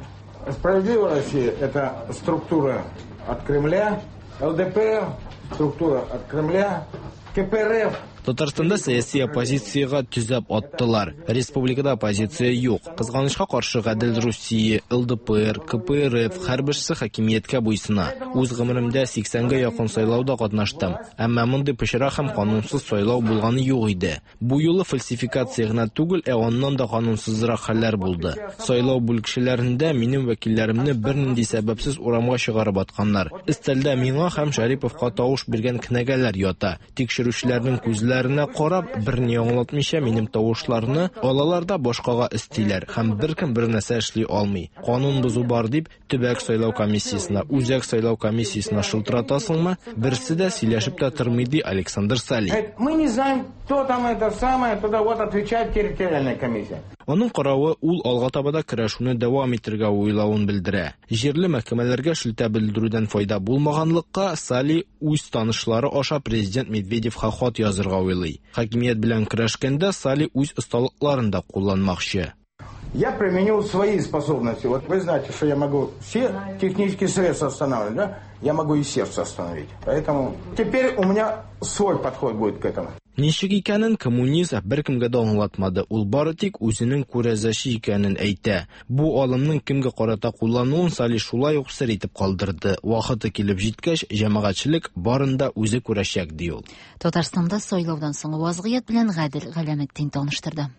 Справедливая Россия – это структура от Кремля, ЛДПР – структура от Кремля, КПРФ Татарстанда сәяси оппозициягә төзәп аттылар. Республикада оппозиция юк. Кызганычка каршы Гадел Русия, ЛДПР, КПРФ һәрберсе хакимияткә буйсына. Үз гомеремдә 80гә якын сайлауда катнаштым. Әмма мондый пычрак һәм канунсыз сайлау булганы юк иде. Бу юлы фальсификация гына түгел, ә аннан да канунсызрак хәлләр булды. Сайлау бүлекчәләрендә минем вәкилләремне бернинди сәбәпсез урамга чыгарып атканнар. Өстәлдә миңа һәм Шәриповка тавыш биргән кенәгәләр ята. Тикшерүчеләрнең күзләренә карап, берни аңлатмыйча минем тавышларны алалар да башкага өстиләр һәм беркем бер нәрсә эшли алмый. Канун бозу бар дип, төбәк сайлау комиссиясенә, үзәк сайлау комиссиясенә шылтыратасыңмы? Берсе дә сөйләшеп тә тормый, ди Александр Сали. Мы не знаем, кто там это самое, туда вот отвечает территориальная комиссия. Аның каравы, ул алга таба да көрәшүне дәвам итәргә уйлавын белдерә. Җирле мәхкәмәләргә шелтә белдерүдән файда булмаганлыкка Сали үз танышлары аша президент Медведевка хат язырга уйлый. Хакимият белән көрәшкәндә Сали үз осталыкларын да кулланмакчы. Я применил свои способности. Вот вы знаете, что я могу все технические средства останавливать, да? Я могу и сердце остановить. Поэтому теперь у меня свой подход будет к этому. Ничек икәнен коммунист беркемгә дә аңлатмады. Ул бары тик үзенең күрәзәче икәнен әйтә. Бу алымның кемгә карата куллануын Сали шулай ук сер итеп калдырды. Вакыты килеп җиткәч, җәмәгатьчелек барын да үзе күрәчәк, ди ул. Татарстанда сайлаудан соңгы вазгыять белән Гадел Галәметдин таныштырды.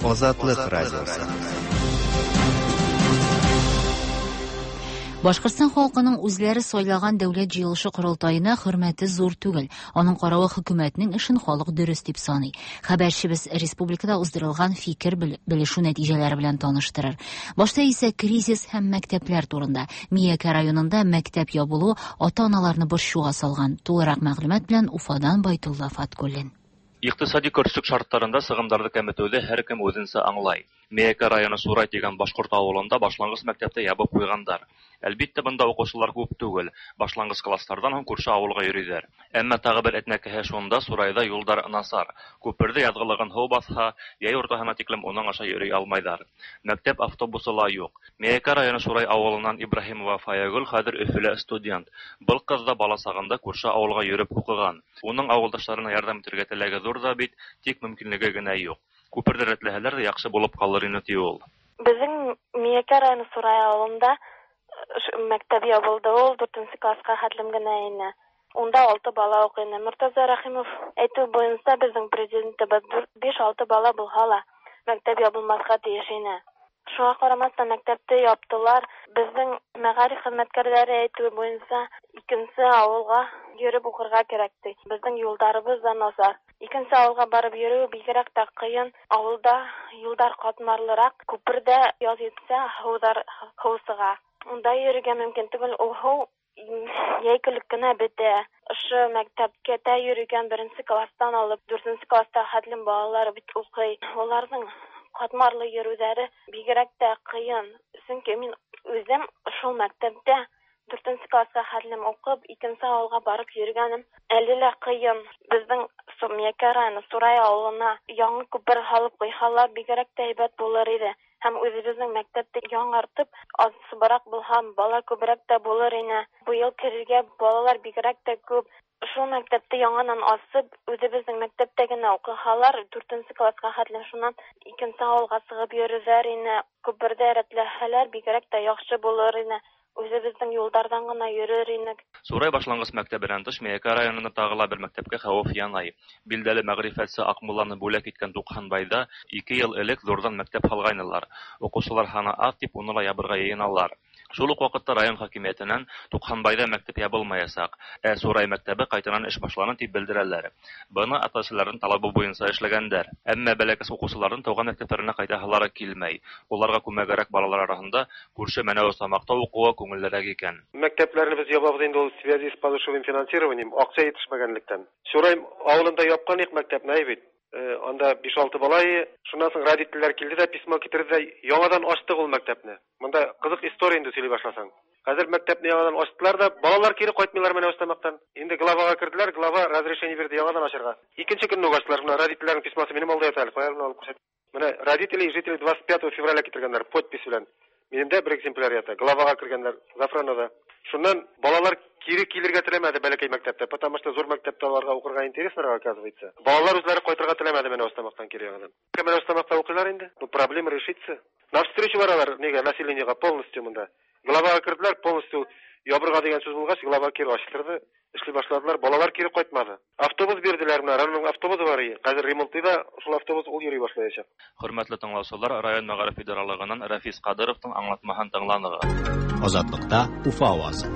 Азатлык радиосы. Башкортстан халкының үзләре сайлаган дәүләт җыелышы корылтаена хөрмәте зур түгел. Аның каравы хөкүмәтнең эшен халык дөрес дип саный. Хәбәрчебез республикада уздырылган фикер белешү нәтиҗәләре белән таныштырыр. Башта исә кризис һәм мәктәпләр турында. Миякә районында мәктәп ябылу ата-аналарны борчуга салган. Тулырак мәгълүмат белән Уфадан Байтулла Фаткуллин. Икътисади көрсек шартларында сығымдарҙы кәметеүҙе һәр кем үҙенсә аңлай. Миәкә районы Сурай тигән башҡорт ауылында башланғыс мәктәпте ябып ҡуйғандар. Әлбиттә, бында уҡыусылар күп түгел. Башланғыс класстарҙан һуң күрше ауылға йөрөйҙәр. Әммә тағы бер этнәкәһе шунда, Сурайҙа юлдар насар. Күперҙе яҙғылығын һыу баҫһа, йәй уртаһына тиклем уның аша йөрөй алмайҙар. Мәктәп автобусы ла юҡ. Миәкә районы Сурай ауылынан Ибраһимова Фаягөл хәҙер Өфөлә студент. Был ҡыҙ ҙа бала сағында күрше ауылға йөрөп уҡыған. Уның ауылдаштарына ярҙам итергә теләге ҙур ҙа бит, тик мөмкинлеге генә юҡ. Күперҙе рәтләһәләр ҙә яҡшы булып ҡалыр ине, ти ул. Беҙҙең Миәкә районы Сурай ауылында мәктәп ябылды, ул 4-нсе классҡа хәтлем генә ине. Унда 6 бала уҡый ине. Мортаза Рәхимов әйтеү буйынса беҙҙең президентыбыҙ 5-6 бала булһа ла мәктәп ябылмаҫҡа тейеш ине. Шуға ҡарамаҫтан мәктәпте яптылар. Беҙҙең мәғариф хеҙмәткәрҙәре әйтеүе буйынса икенсе ауылға йөрөп уҡырға кәрәк ти. Беҙҙең юлдарыбыҙ ҙа насар. Икенсе ауылға барып йөрөү бигерәк тә ҡыйын. Ауылда юлдар ҡатмарлыраҡ, күперҙә яҙ етсә һыу сыға. Унда йөрөргә мөмкин түгел, ул һыу йәй көлөк кенә бөтә. Ошо мәктәпкә тә йөрөгән 1-нсе класстан алып 4-нсе класста хәтлем балалар бит уҡый. Уларҙың ҡатмарлы йөрөүҙәре бигерәк тә ҡыйын. Сөнки мин үҙем шул мәктәптә 4-нсе классҡа хәтлем уҡып, икенсе ауылға барып йөрөгәнем әле лә ҡыйын. Беҙҙең Миякә районы Сурай авылына яңа күпер һалып куйһалар, бигрәк тә әйбәт булыр иде. Һәм үзебезнең мәктәптә яңартып, азсыбрак булһа, бала күбрәк тә булыр ине. Быел керергә балалар бигрәк тә күп. Шул мәктәптә яңадан асып, үзебезнең мәктәптә генә укыһалар, дүртенче класска хәтлем, шуннан икенче авылга чыгып йөрерләр ине. Күпердә рәтләһәләр, бигрәк тә яхшы булыр ине. Үзебезнең юлдардан гына йөрер инек. Сурай башлангыч мәктәбеннән тыш Миякә районында тагы ла бер мәктәпкә хәвеф янай. Билдәле мәгърифәтче Акмулланы бүләк иткән Тукханбайда 2 ел элек зурдан мәктәп һалгайнылар. Укучылар һаны аз дип уны ла ябырга йыйыналар. Шул ук вакытта район хакимиятеннән Тукханбайда мәктәп ябылмаячак, ә Сурай мәктәбе кайтанан эш башланы дип белдерәләр. Быны ата-әсәләрнең талабы буенча эшләгәндәр. Әмма бәләкәс укучыларның туган мәктәпләренә кайтаһылары килмәй. Уларга күмәгәрәк балалар арасында күрше Мәнәвез Тамакта укуы күңеллерәк икән. Мәктәпләрне без ябабыз инде ул в связи с подушевым финансированием, акча җитешмәгәнлектән. Сурай авылында япкан ик мәктәпне, әй бит. Анда 5-6 бала ие. Шуннан соң родительләр килде дә, письмо китерде дә, яңадан ачтык ул мәктәпне. Монда кызык история инде сөйли башласаң. Хәзер мәктәпне яңадан ачтылар да, балалар кире кайтмыйлар Мәнәвез Тамактан. Инде главага керделәр, глава разрешение бирде яңадан ачарга. Икенче көнне үк ачтылар. Менә родительләрнең письмосы минем алда ята әле. Кая алып күрсәт. Менә родители и жители 25 февраля китергәннәр подпись белән. Минемдә бер экземпляр ята. Главага кергәннәр Зафранада. Шуннан балалар кире килергә теләмәде бәләкәй мәктәптә, потому что зур мәктәптә аларга укырга интереснырак оказывается. Балалар үзләре кайтырга теләмәде Мәнәвез Тамактан кире яңадан. Мәнәвез Тамакта укыйлар инде. Ну, проблема решится. Навстречу баралар нигә населениега полностью монда. Главага керделәр, полностью ябырга дигән сүз булгач, глава кире ачтырды, эшли башладылар. Балалар кире кайтмады. Автобус бирделәр менә, районның автобусы бар ие. Хәзер ремонтлый да, шул автобус ул йөри башлаячак. Хөрмәтле тыңлаучылар, район мәгариф идаралыгыннан Рафис Кадыровның аңлатмаһын тыңланыгыз. Азатлыкта Уфа авазы.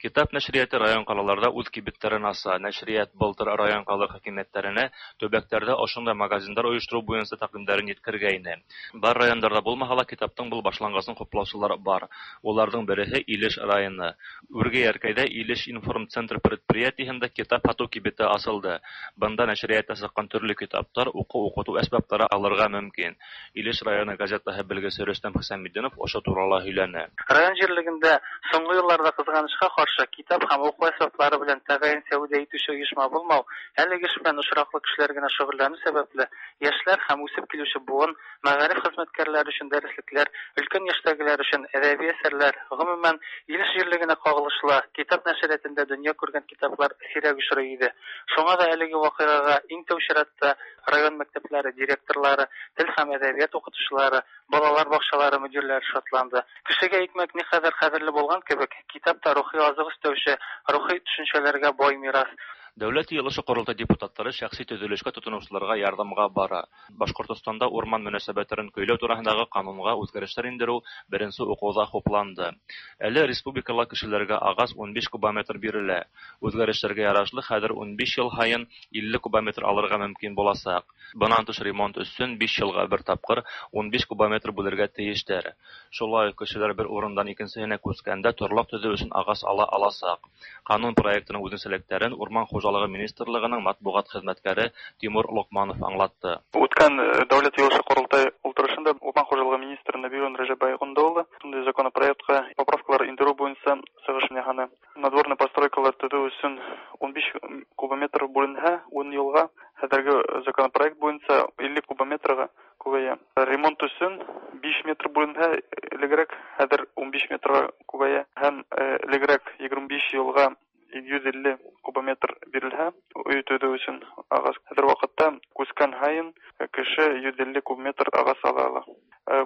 Китап нәшрияты район калаларда үз кибетләрен аса. Нәшрият былтыр район кала хакимиятләренә төбәкләрдә ошондай магазиндар оештыру буенча тәкъдимнәрен еткергәйне. Бар райондарда булмаһа ла китаптың был башлангысын хуплаучылар бар. Уларның береһе Илеш районы. Үрге Яркәйдә Илеш информцентр предприятиеһендә китап һату кибете асылды. Бында нәшриятта сыккан төрле китаптар, уку-укыту әсбаплары алырга мөмкин. Илеш районы газетаһы белгесе Рөстәм Хисаметдинов ошо турала һөйләне. Район җирлегендә соңгы елларда кызганычка каршы китап һәм уку әсбаплары белән тәгаен сәүдә итүче оешма булмау, әлеге эш белән очраклы кешеләр генә шөгыльләнү сәбәпле, яшьләр һәм үсеп килүче буын, мәгариф хезмәткәрләре өчен дәреслекләр, өлкән яшьтәгеләр өчен әдәби әсәрләр, гомумән, Илеш җирлегенә кагылышлы китап нәшриятында дөнья күргән китаплар сирәк очрый иде. Шуңа да әлеге вакыйгага иң тәү чиратта район мәктәпләре директорлары, тел һәм әдәбият укытучылары, балалар бакчалары мөдирләре шатланды. Кешегә икмәк никадәр кадерле булган кебек, китап та рухи азык өстәүче, рухи төшенчәләргә бай мирас. Дәүләт йыелышы корылтай депутатлары шәхси төзелешкә тотынучыларга ярдәмгә бара. Башкортостанда урман мөнәсәбәтләрен көйләү турындагы канунга үзгәрешләр индерү беренче укуда хупланды. Әле республикала кешеләргә агач 15 кубометр бирелә. Үзгәрешләргә ярашлы хәзер 15 ел һайын 50 кубометр алырга мөмкин булачак. Бынан тыш ремонт өчен 5 елга бер тапкыр 15 кубометр бүлергә тиештер. Шулай ук кешеләр бер урындан икенчесенә күчкәндә торлак төзү өчен агач ала алачак. Канун проектының үзенчәлекләрен Урман хуҗалыгы министрлыгының матбугат хезмәткәре Тимур Локманов аңлатты. Үткән дәүләт йыелышы корылтай утырышында Урман хуҗалыгы министры Нәбиуллин Рәҗәбай улы шундый законопроектка поправкалар индерү буенча чыгыш ясады. Надворный постройкалар төзү өчен 15 кубометр бүленһә 10 елга, хәзерге законопроект буенча 50 кубометрга күбәя. Ремонт өчен 5 метр бүленһә элегрәк, хәзер 15 метрга күбәя һәм элегрәк 25 елга 250 кубометр бирелһә өй төзү өчен агач. Хәзер вакытта күчкән һайын кеше 150 кубометр агач ала ала.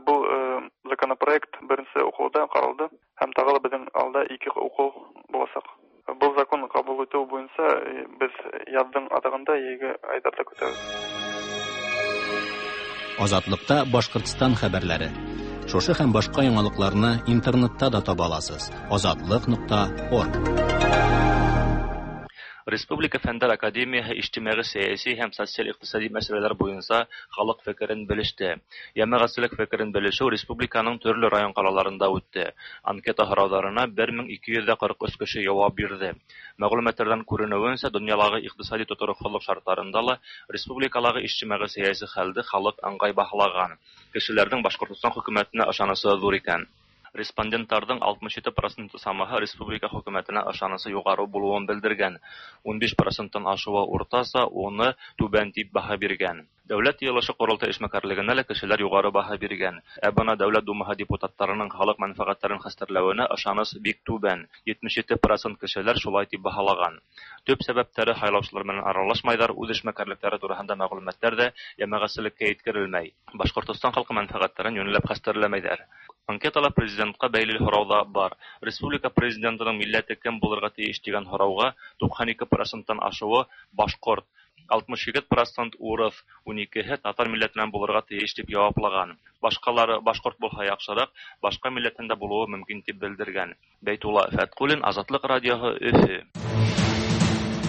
Бу законопроект беренче укуда каралды һәм тагы да безнең алда 2 уку булачак. Бу закон кабул итү буенча без язның азагында җәйге айларда көтәбез. Азатлыкта Башкортстан хәбәрләре. Шушы һәм башка яңалыкларны интернетта да таба аласыз. Азатлык.орг. Республика Фәннәр Академияһы иҗтимагый сәяси һәм социаль-икътисади мәсьәләләр буенча халык фикерен белеште. Җәмәгатьчелек фикерен белешү республиканың төрле район калаларында үтте. Анкета һорауларына 1243 кеше җавап бирде. Мәгълүматлардан күренүенчә, дөньядагы икътисади тотрыклылык шартларында ла республикадагы иҗтимагый сәяси хәлде халык ыңгай баһалаган. Кешеләрнең Башкортстан хөкүмәтенә ышанычы зур икән. Респондентларның 67 проценты самаһы республика хөкүмәтенә ышанысы югары булуын белдергән. 15 проценттан ашуы уртача, уны түбән дип баһа биргән. Дәүләт Йыелышы-Корылтай эшмәкәрлегенә лә кешеләр югары баһа биргән. Ә бына Дәүләт Думаһы депутаттарының халык мәнфәгатьләрен хәстәрләвенә ышаныс бик түбән, 77 процент кешеләр шулай дип баһалаган. Төп сәбәптәре һайлаучылар белән аралашмайдар, үз эшмәкәрлекләре тураһында мәгълүматлар да җәмәгатьчелеккә иткерелмәй. Башкортостан халкы мәнфәгатьләрен юньләп хәстәрләмәйдәр. Анкетала президентка бәйле һорау да бар. Республика президентының милләте кем булырга тиеш дигән һорауга 92 проценттан ашуы башкорт, 67 процент урыс, 12-һе татар милләтеннән булырга тиеш дип яуаплаган. Башкалары башкорт булһа яхшырак, башка милләттән дә булуы мөмкин дип белдергән. Бәйтулла Фәткуллин, Азатлык радиоһы, Өфө.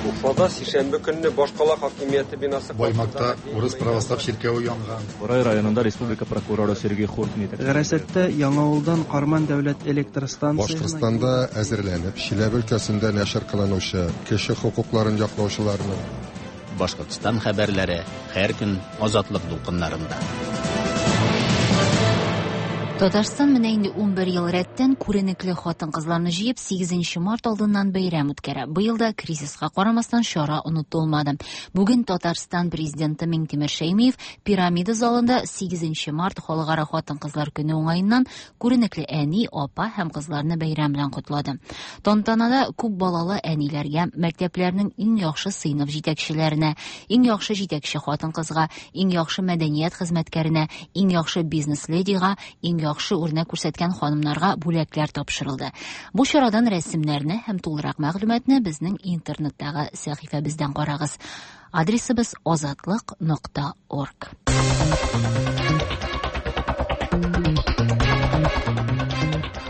Уфада сишәмбе көнне башкала хакимияте бинасы Баймакта урыс православ чиркәве янган. Борай районында республика прокуроры Сергей Хуртин Гарасәттә Яңавылдан Карман дәүләт электр станциясенә Башкортстанда әзерләнеп, Чиләбе өлкәсендә нәшер кылынучы кеше хокукларын яклаучыларның Башкортстан хәбәрләре һәр көн Азатлык дулкыннарында. Татарстан менә инде 11 ел рәттән күренекле хатын-кызларны җыеп 8 март алдыннан бәйрәм үткәрә. Быел да кризиска карамастан чара онытылмады. Бүген Татарстан президенты Миңтимер Шәймиев Пирамида залында 8 март халыкара хатын-кызлар көне уңаеннан күренекле әни, апа һәм кызларны бәйрәм белән котлады. Тантанада күп балалы әниләргә, мәктәпләрнең иң яхшы сыйныф җитәкчеләренә, иң яхшы җитәкче хатын-кызга, иң яхшы мәдәният хезмәткәренә, иң яхшы бизнес-ледига, иң яхшы үрнәк күрсәткән ханымнарга бүләкләр тапшырылды. Бу чарадан рәсемнәрне һәм тулырак мәгълүматны безнең интернеттагы сәхифәбездән карагыз. Адресыбыз азатлык.орг.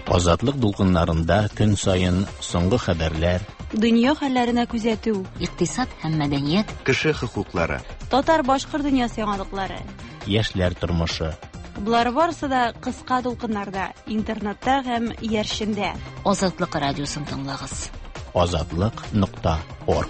Азатлык дулкыннарында көн саен соңгы хәбәрләр, Дөнья хәлләренә күзәтү, икътисад һәм мәдәният, кеше хокуклары, татар-башкорт дөньясы яңалыклары, яшьләр тормышы. Болар барысы да кыска дулкыннарда, интернетта һәм иярчендә. Азатлык радиосын тыңлагыз. Азатлык.орг.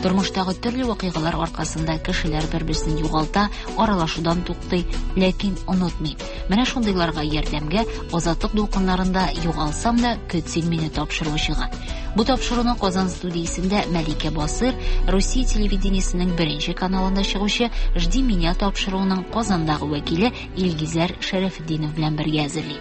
Тормыштагы төрле вакыйгалар аркасында кешеләр бер-берсен югалта, аралашудан туктый, ләкин онытмый. Менә шундыйларга ярдәмгә Азатлык дулкыннарында югалсам да көт син мине тапшыруы чыга. Бу тапшыруны Казан студиясендә Мәликә Басыр, Русия телевидениесенең беренче каналында чыгучы Жди меня тапшыруының Казандагы вәкиле Илгизәр Шәрәфетдинов белән бергә әзерли.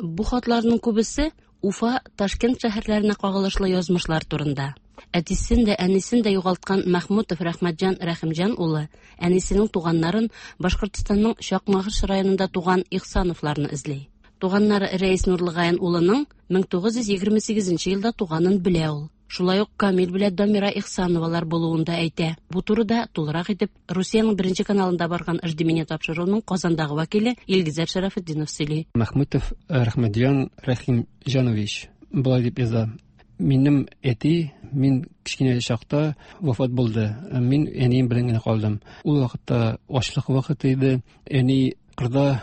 Бу хатларның күбесе Уфа, Ташкент шәһәрләренә кагылышлы язмышлар турында. Әтисен дә, әнисен дә югалткан Мәхмүтов Рәхмәтҗан Рәхимҗан улы әнисенең туганнарын Башкортстанның Чакмагыш районында туган Ихсановларны эзли. Туганнары Рәис Нурлыгаян улының 1928 елда туганын белә ул. Шулай ук Камил белән Дамира Ихсановалар булуын да әйтә. Бу турыда тулырак итеп Русиянең беренче каналында барган Жди меня тапшыруының Казандагы вәкиле Илгизәр Шәрәфетдинов сөйли. Мәхмүтов Рәхмәтҗан Рәхимҗанович болай дип яза. Минем әти мин кечкенә чакта вафат булды. Мин әнием белән генә калдым. Ул вакытта ачлык вакыты иде. Әни кырда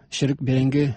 черек бәрәңге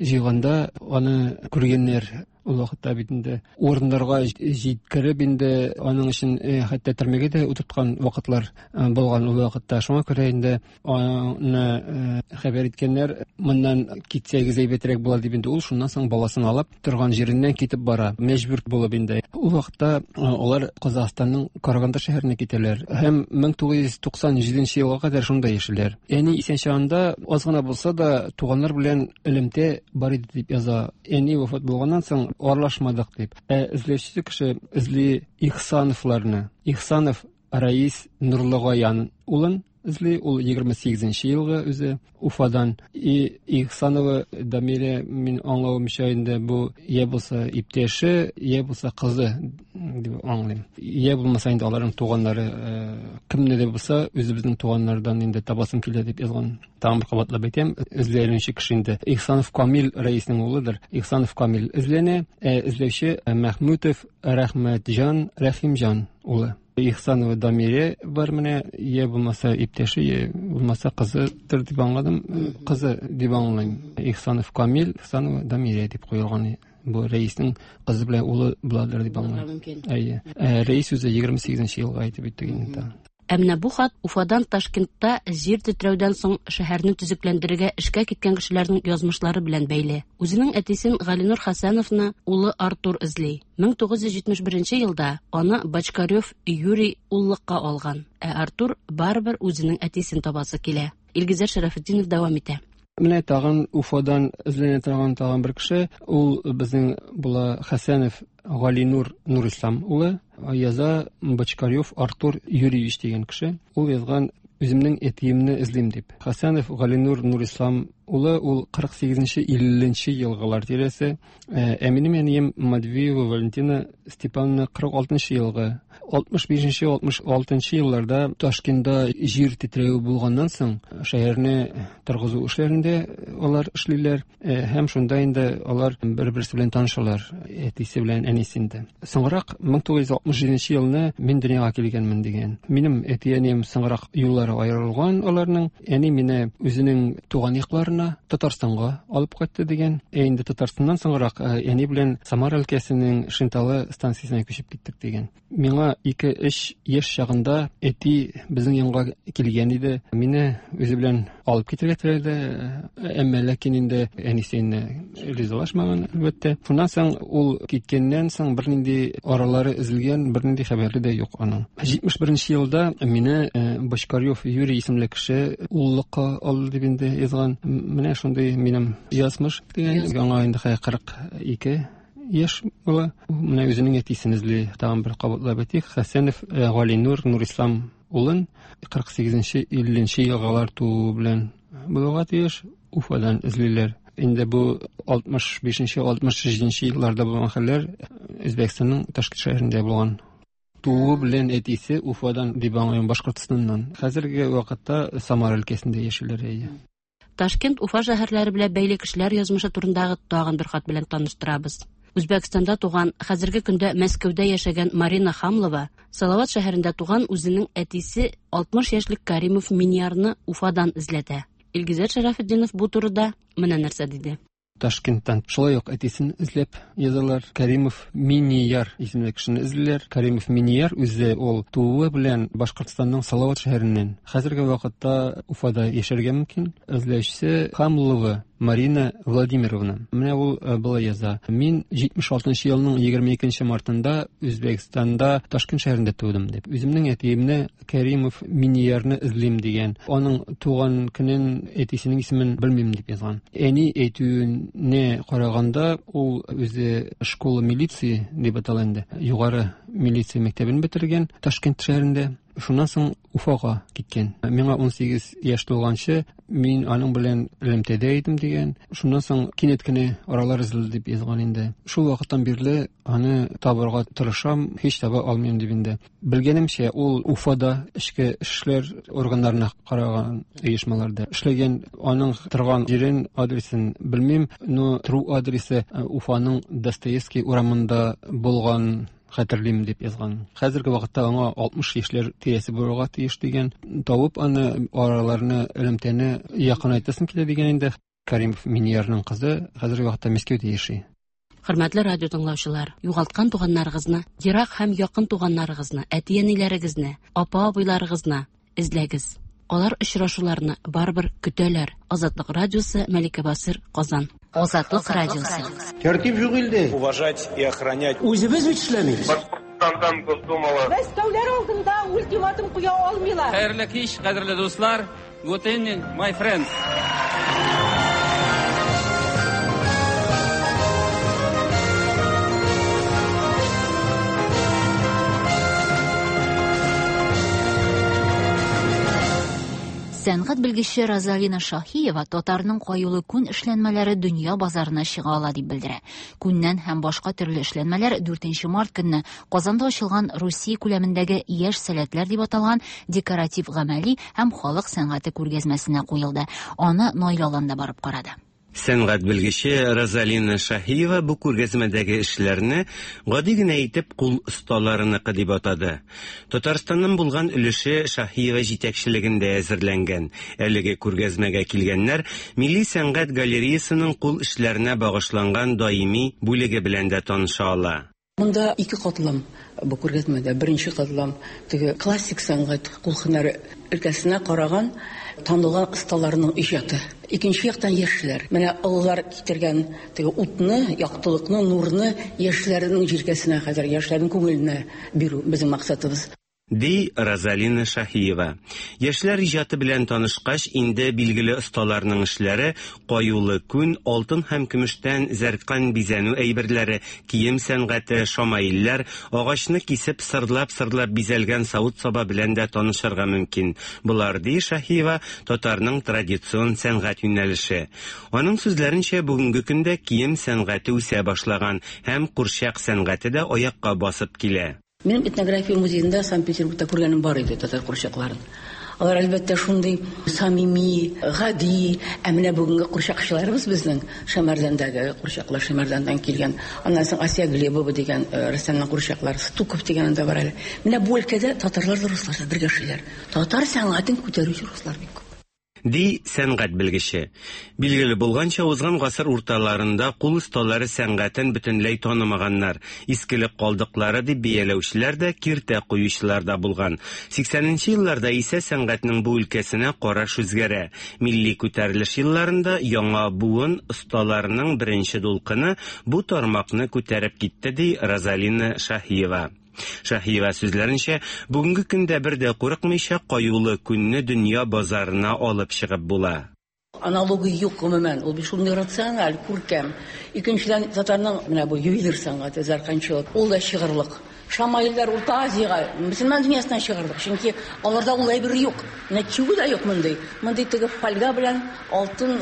җыйганда аны күргәннәр. Ул вакытта бит инде урыннарга җиткереп инде аның өчен хәтта төрмәгә дә утырткан вакытлар булган ул вакытта. Шуңа күрә инде аны хәбәр иткәннәр, моннан китсәгез әйбәтрәк була дип инде ул шуннан соң баласын алып торган җиреннән китеп бара, мәҗбүр булып инде. Ул вакытта алар Казахстанның Караганда шәһәренә китәләр һәм 1997 елга кадәр шунда яшиләр. Әни исән чагында аз гына булса да туганнар белән элемтә бар иде дип яза. Әни вафат булганнан соң аралашмадык дип. Ә эзләүче кеше эзли Ихсановларны. Ихсанов Раис Нурлыгаян улын эзли, ул 28 елгы үзе Уфадан. И Ихсанова Дамирә, мин аңлавымча инде бу я булса иптәше, я булса кызы дип аңлыйм. Я булмаса инде аларның туганнары, кемне дә булса үзебезнең туганнардан инде табасым килә дип язган. Тагын бер кабатлап әйтәм, эзләнүче кеше инде Ихсанов Камил Раиснең улыдыр. Ихсанов Камил эзләнә, ә эзләүче Мәхмүтов Рәхмәтҗан Рәхимҗан улы. Ихсанова Дамирә бар менә, я булмаса иптәше, я булмаса кызыдыр дип аңладым, кызы дип аңлыйм. Ихсанов Камил, Ихсанова Дамирә дип куелган. Бу Рәиснең кызы белән улы буладыр дип аңлыйм. Әйе. Рәис үзе 28 елга әйтеп үтте инде. Ә менә бу хат Уфадан Ташкентта җир тетрәүдән соң шәһәрне төзекләндерергә эшкә киткән кешеләрнең язмышлары белән бәйле. Үзенең әтисен Галинур Хәсәновны улы Артур эзли. 1971 елда аны Бочкарев Юрий уллыкка алган. Ә Артур барыбер үзенең әтисен табасы килә. Илгизәр Шәрәфетдинов дәвам итә. Менә тагын Уфадан эзләнә торган тагын бер кеше, ул безнең була Хәсәнов Галинур Нурислам улы, яза Бочкарев Артур Юрьевич дигән кеше. Ул язган үземнең әтиемне эзлим дип. Хәсәнов Галинур Нурислам улы, ул 48-50 елгылар тирәсе. Ә минем әнием Матвеева Валентина Степановна 46 елгы. 65-66 елларда Ташкентта җир тетрәүе булганнан соң шәһәрне торгызу эшләрендә алар эшлиләр һәм шунда инде алар бер-берсе белән танышалар, әтисе белән әнисе инде. Соңрак 1967 елны мин дөньяга килгәнмен дигән. Минем әти-әнием соңрак юллары аерылган аларның. Әни мине үзенең туган якларына, Татарстанга алып кайтты дигән. Ә инде Татарстаннан соңрак әни белән Самара өлкәсенең Шенталы станциясенә күчеп киттек дигән. Миңа 2-3 яшь чагында әти безнең янга килгән иде. Мине үзе белән алып китергә теләде, әмма ләкин инде әнисе инде ризалашмаган, әлбәттә. Шуннан соң ул киткәннән соң бернинди аралары өзелгән, бернинди хәбәре дә юк аның. 71 елда мине Бочкарев Юрий исемле кеше уллыкка алды дип инде язган. Менә шундый минем язмыш дигән. Аңа инде 42 яшь була. Менә үзенең әтисен эзли. Тагын бер кабатлап әйтик, Хәсәнов Галинур Нурислам улын 48-50 елгалар туу белән булуга тиеш. Уфадан эзлиләр. Инде бу 65-67 елларда булган хәлләр Үзбәкстанның Ташкент шәһәрендә булган. Тууы белән әтисе Уфадан дип аңлыйм, Башкортстаннан. Хәзерге вакытта Самара өлкәсендә яшиләр, әйе. Ташкент, Уфа шәһәрләре белән бәйле кешеләр язмышы турындагы тагын бер хат белән таныштырабыз. Үзбәкстанда туган, хәзерге көндә Мәскәүдә яшәгән Марина Хамлова Салават шәһәрендә туган үзенең әтисе 60 яшьлек Каримов Миньярны Уфадан эзләтә. Илгизәр Шәрәфетдинов бу турыда менә нәрсә диде. Ташкенттан шулай ук әтисен эзләп язалар. Каримов Минияр исемле кешене эзлиләр. Каримов Минияр үзе ул тууы белән Башкортстанның Салават шәһәреннән. Хәзерге вакытта Уфада яшәргә мөмкин. Эзләүчесе Хамлова Марина Владимировна. Менә ул болай яза. Мин 76 елның 22 мартында Үзбәкстанда Ташкент шәһәрендә тудым дип. Үземнең әтиемне Каримов Миниярны эзлим дигән. Аның туган көнен, әтисенең исемен белмим дип язган. Әни әйтүенә караганда, ул үзе школа милиции дип атала инде. Югары милиция мәктәбен бетергән Ташкент шәһәрендә. Шуннан соң Уфага киткән. Миңа 18 яшь тулганчы мин аның белән элемтәдә идем дигән. Шуннан соң кинәт кенә аралар өзелде дип язган инде. Шул вакыттан бирле аны табырга тырышам, һич таба алмыйм дип инде. Белгәнемчә, ул Уфада эчке эшләр органнарына караган оешмаларда эшләгән. Аның торган җирен, адресын белмим, но тору адресы Уфаның Достоевский урамында булган хәтерлим дип язган. Хәзерге вакытта аңа 60 яшьләр тирәсе булырга тиеш дигән. Табып аны, араларны, элемтәне якынайтасым килә дигән инде. Каримов Миниярның кызы хәзерге вакытта Мәскәүдә яши. Хөрмәтле радио тыңлаучылар, югалткан туганнарыгызны, ерак һәм якын туганнарыгызны, әти-әниләрегезне, апа-абыйларыгызны эзләгез. Алар очрашуларны барыбер көтәләр. Азатлык радиосы, Мәликә Басыр, Казан. Азатлык радиосы. Тәртип юк илдә. Уважать и охранять. Үзебез бит эшләмибез. Башкортстандан Госдумалы. Мәскәүләр алдында ультиматум куя алмыйлар. Хәерле кич, кадерле дуслар. Good evening, my friends. Сәнгать белгече Розалина Шаһиева татарның каюлы күн эшләнмәләре дөнья базарына чыга ала дип белдерә. Күннән һәм башка төрле эшләнмәләр 4 март көнне Казанда ачылган Русия күләмендәге Яшь сәләтләр дип аталган декоратив гамәли һәм халык сәнгате күргәзмәсенә куелды. Аны Наил Алан да барып карады. Сәнгать белгече Розалина Шаһиева бу күргәзмәдәге эшләрне гади генә итеп кул осталарыныкы дип атады. Татарстаннан булган өлеше Шаһиева җитәкчелегендә әзерләнгән. Әлеге күргәзмәгә килгәннәр Милли сәнгать галереясының кул эшләренә багышланган даими бүлеге белән дә таныша ала. Монда ике катлам бу күргәзмәдә. Беренче катлам теге классик сәнгать, кул һөнәре өлкәсенә караган танылган осталарның иҗаты. Икенче яктан яшьләр. Менә олылар китергән теге утны, яктылыкны, нурны яшьләрнең җилкәсенә хәзер, яшьләрнең күңеленә бирү безнең максатыбыз. Ди Розалина Шаһиева. Яшьләр иҗаты белән танышкач, инде билгеле осталарның эшләре, каюлы күн, алтын һәм көмештән зәркан бизәнү әйберләре, кием сәнгате, шамаилләр, агачны кисеп, сырлап-сырлап бизәлгән савыт-саба белән дә танышырга мөмкин. Болар, ди Шаһиева, татарның традицион сәнгать юнәлеше. Аның сүзләренчә, бүгенге көндә кием сәнгате үсә башлаган һәм курчак сәнгате дә аякка басып килә. Минем этнография музеенда Санкт-Петербургта күргәнем бар иде татар курчакларын. Алар, әлбәттә, шундый самими, гади, ә менә бүгенге курчакчыларыбыз безнең Шәмәрдәндәге курчаклар, Шәмәрдәндән килгән. Аннан соң Асия Глебова дигән э, рәссамның курчаклары, Стуков дигән анда бар әле. Менә бу өлкәдә татарлар да, руслар да бергә эшлиләр. Татар сәнгатен күтәрүче руслар бик күп. Ди сәнгать белгече. Билгеле булганча, узган гасыр урталарында кул осталары сәнгатен бөтенләй танымаганнар, искелек калдыклары дип бәяләүчеләр дә, киртә куючылар да булган. 80 нче елларда исә сәнгатьнең бу өлкәсенә караш үзгәрә. Милли күтәрелеш елларында яңа буын осталарының беренче дулкыны бу тармакны күтәреп китте, ди Розалина Шаһиева. Шаһиева сүзләренчә, бүгенге көндә бер дә курыкмыйча каюлы күнне дөнья базарына алып чыгып була. Аналогы юк гомумән, ул бит шундый рациональ, күркәм. Икенчедән, татарның менә бу ювелир сәнгате, зәркәнчелек, ул да чыгырлык. Шамаилләр Урта Азиягә, мөселман дөньясына чыгырлык, чөнки аларда ул әйбер юк. Менә чигү дә юк мондый. Мондый теге фольга белән алтын,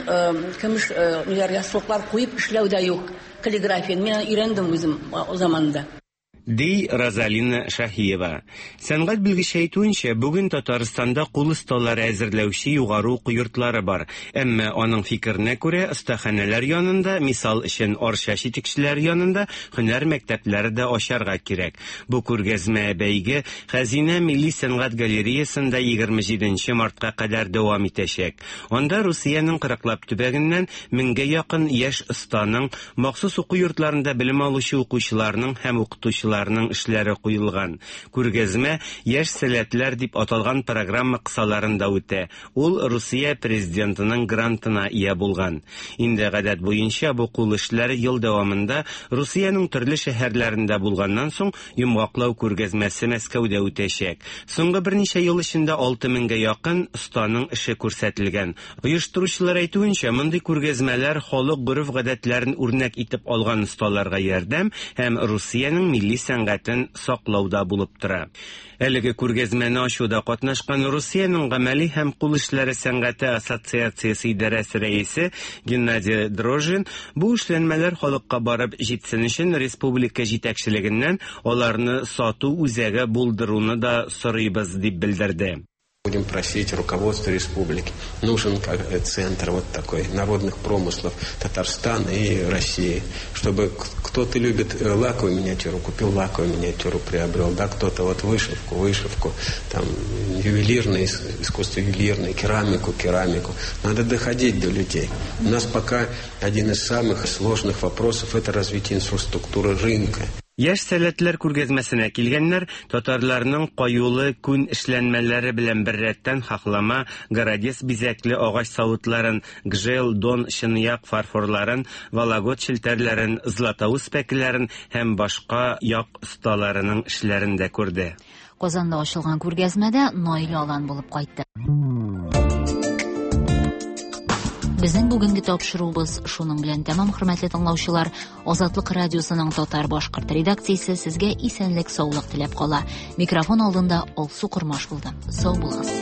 көмеш ниләр, яссылыклар куеп эшләү дә юк. Каллиграфияне мин өйрәндем үзем заманында. Ди Розалина Шаһиева. Сәнгать белгече әйтүенчә, бүген Татарстанда кул осталары әзерләүче югары уку йортлары бар. Әмма, аның фикеренә күрә, остаханәләр янында, мисал өчен, Арча читекчеләре янында һөнәр мәктәпләре дә ачарга кирәк. Бу күргәзмә-бәйге Хәзинә милли сәнгать галереясында 27 нче мартка кадәр дәвам итәчәк. Анда Русиянең кырыклап төбәгеннән меңгә якын яшь останың, Махсус уку йортларында белем алучы укучыларның һәм укытучыларның эшләре куелган. Күргәзмә Яшь сәләтләр дип аталган программа кысаларында үтә, ул Русия Президентының грантына ия булган. Инде гадәт буенча бу кул эшләре ел дәвамында Русиянең төрле шәһәрләрендә булганнан соң, йомгаклау күргәзмәсе Мәскәүдә үтәчәк. Соңгы берничә ел эчендә 6 меңгә якын останың эше күрсәтелгән. Оештыручылар әйтүенчә, мондый күргәзмәләр халык гореф-гадәтләрен үрнәк итеп алган осталарга ярдәм һәм Русиянең милли сәнгатен саклау да булып тора. Әлеге күргәзмәне ачуда катнашкан Русиянең гамәли һәм кул эшләре сәнгате ассоциациясе идарәсе рәисе Геннадий Дрожжин бу эшләнмәләр халыкка барып җитсен өчен республика җитәкчелегеннән аларны сату үзәге булдыруны да сорыйбыз, дип белдерде. Будем просить руководство республики. Нужен э, центр вот такой народных промыслов Татарстана и России, чтобы кто-то любит э, лаковую миниатюру, купил лаковую миниатюру, приобрел, да, кто-то вот вышивку, вышивку, там ювелирное искусство ювелирное, керамику, керамику. Надо доходить до людей. У нас пока один из самых сложных вопросов – это развитие инфраструктуры рынка. Яшь сәләтләр күргәзмәсенә килгәннәр татарларның каюлы күн эшләнмәләре белән беррәттән хахлама, городец бизәкле агач савытларын, гжел, дон, чынаяк фарфорларын, вологод челтәрләрен, златоуст пәкеләрен һәм башка як осталарының эшләрен дә күрде. Казанда ачылган күргәзмәдә Наил Алан булып кайтты. Безнең бүгенге тапшыруыбыз шуның белән тәмам, хөрмәтле тыңлаучылар. Азатлык радиосының татар башкорт редакциясе сезгә исәнлек, саулык теләп кала. Микрофон алдында Алсу Кормаш булды. Сау булыгыз.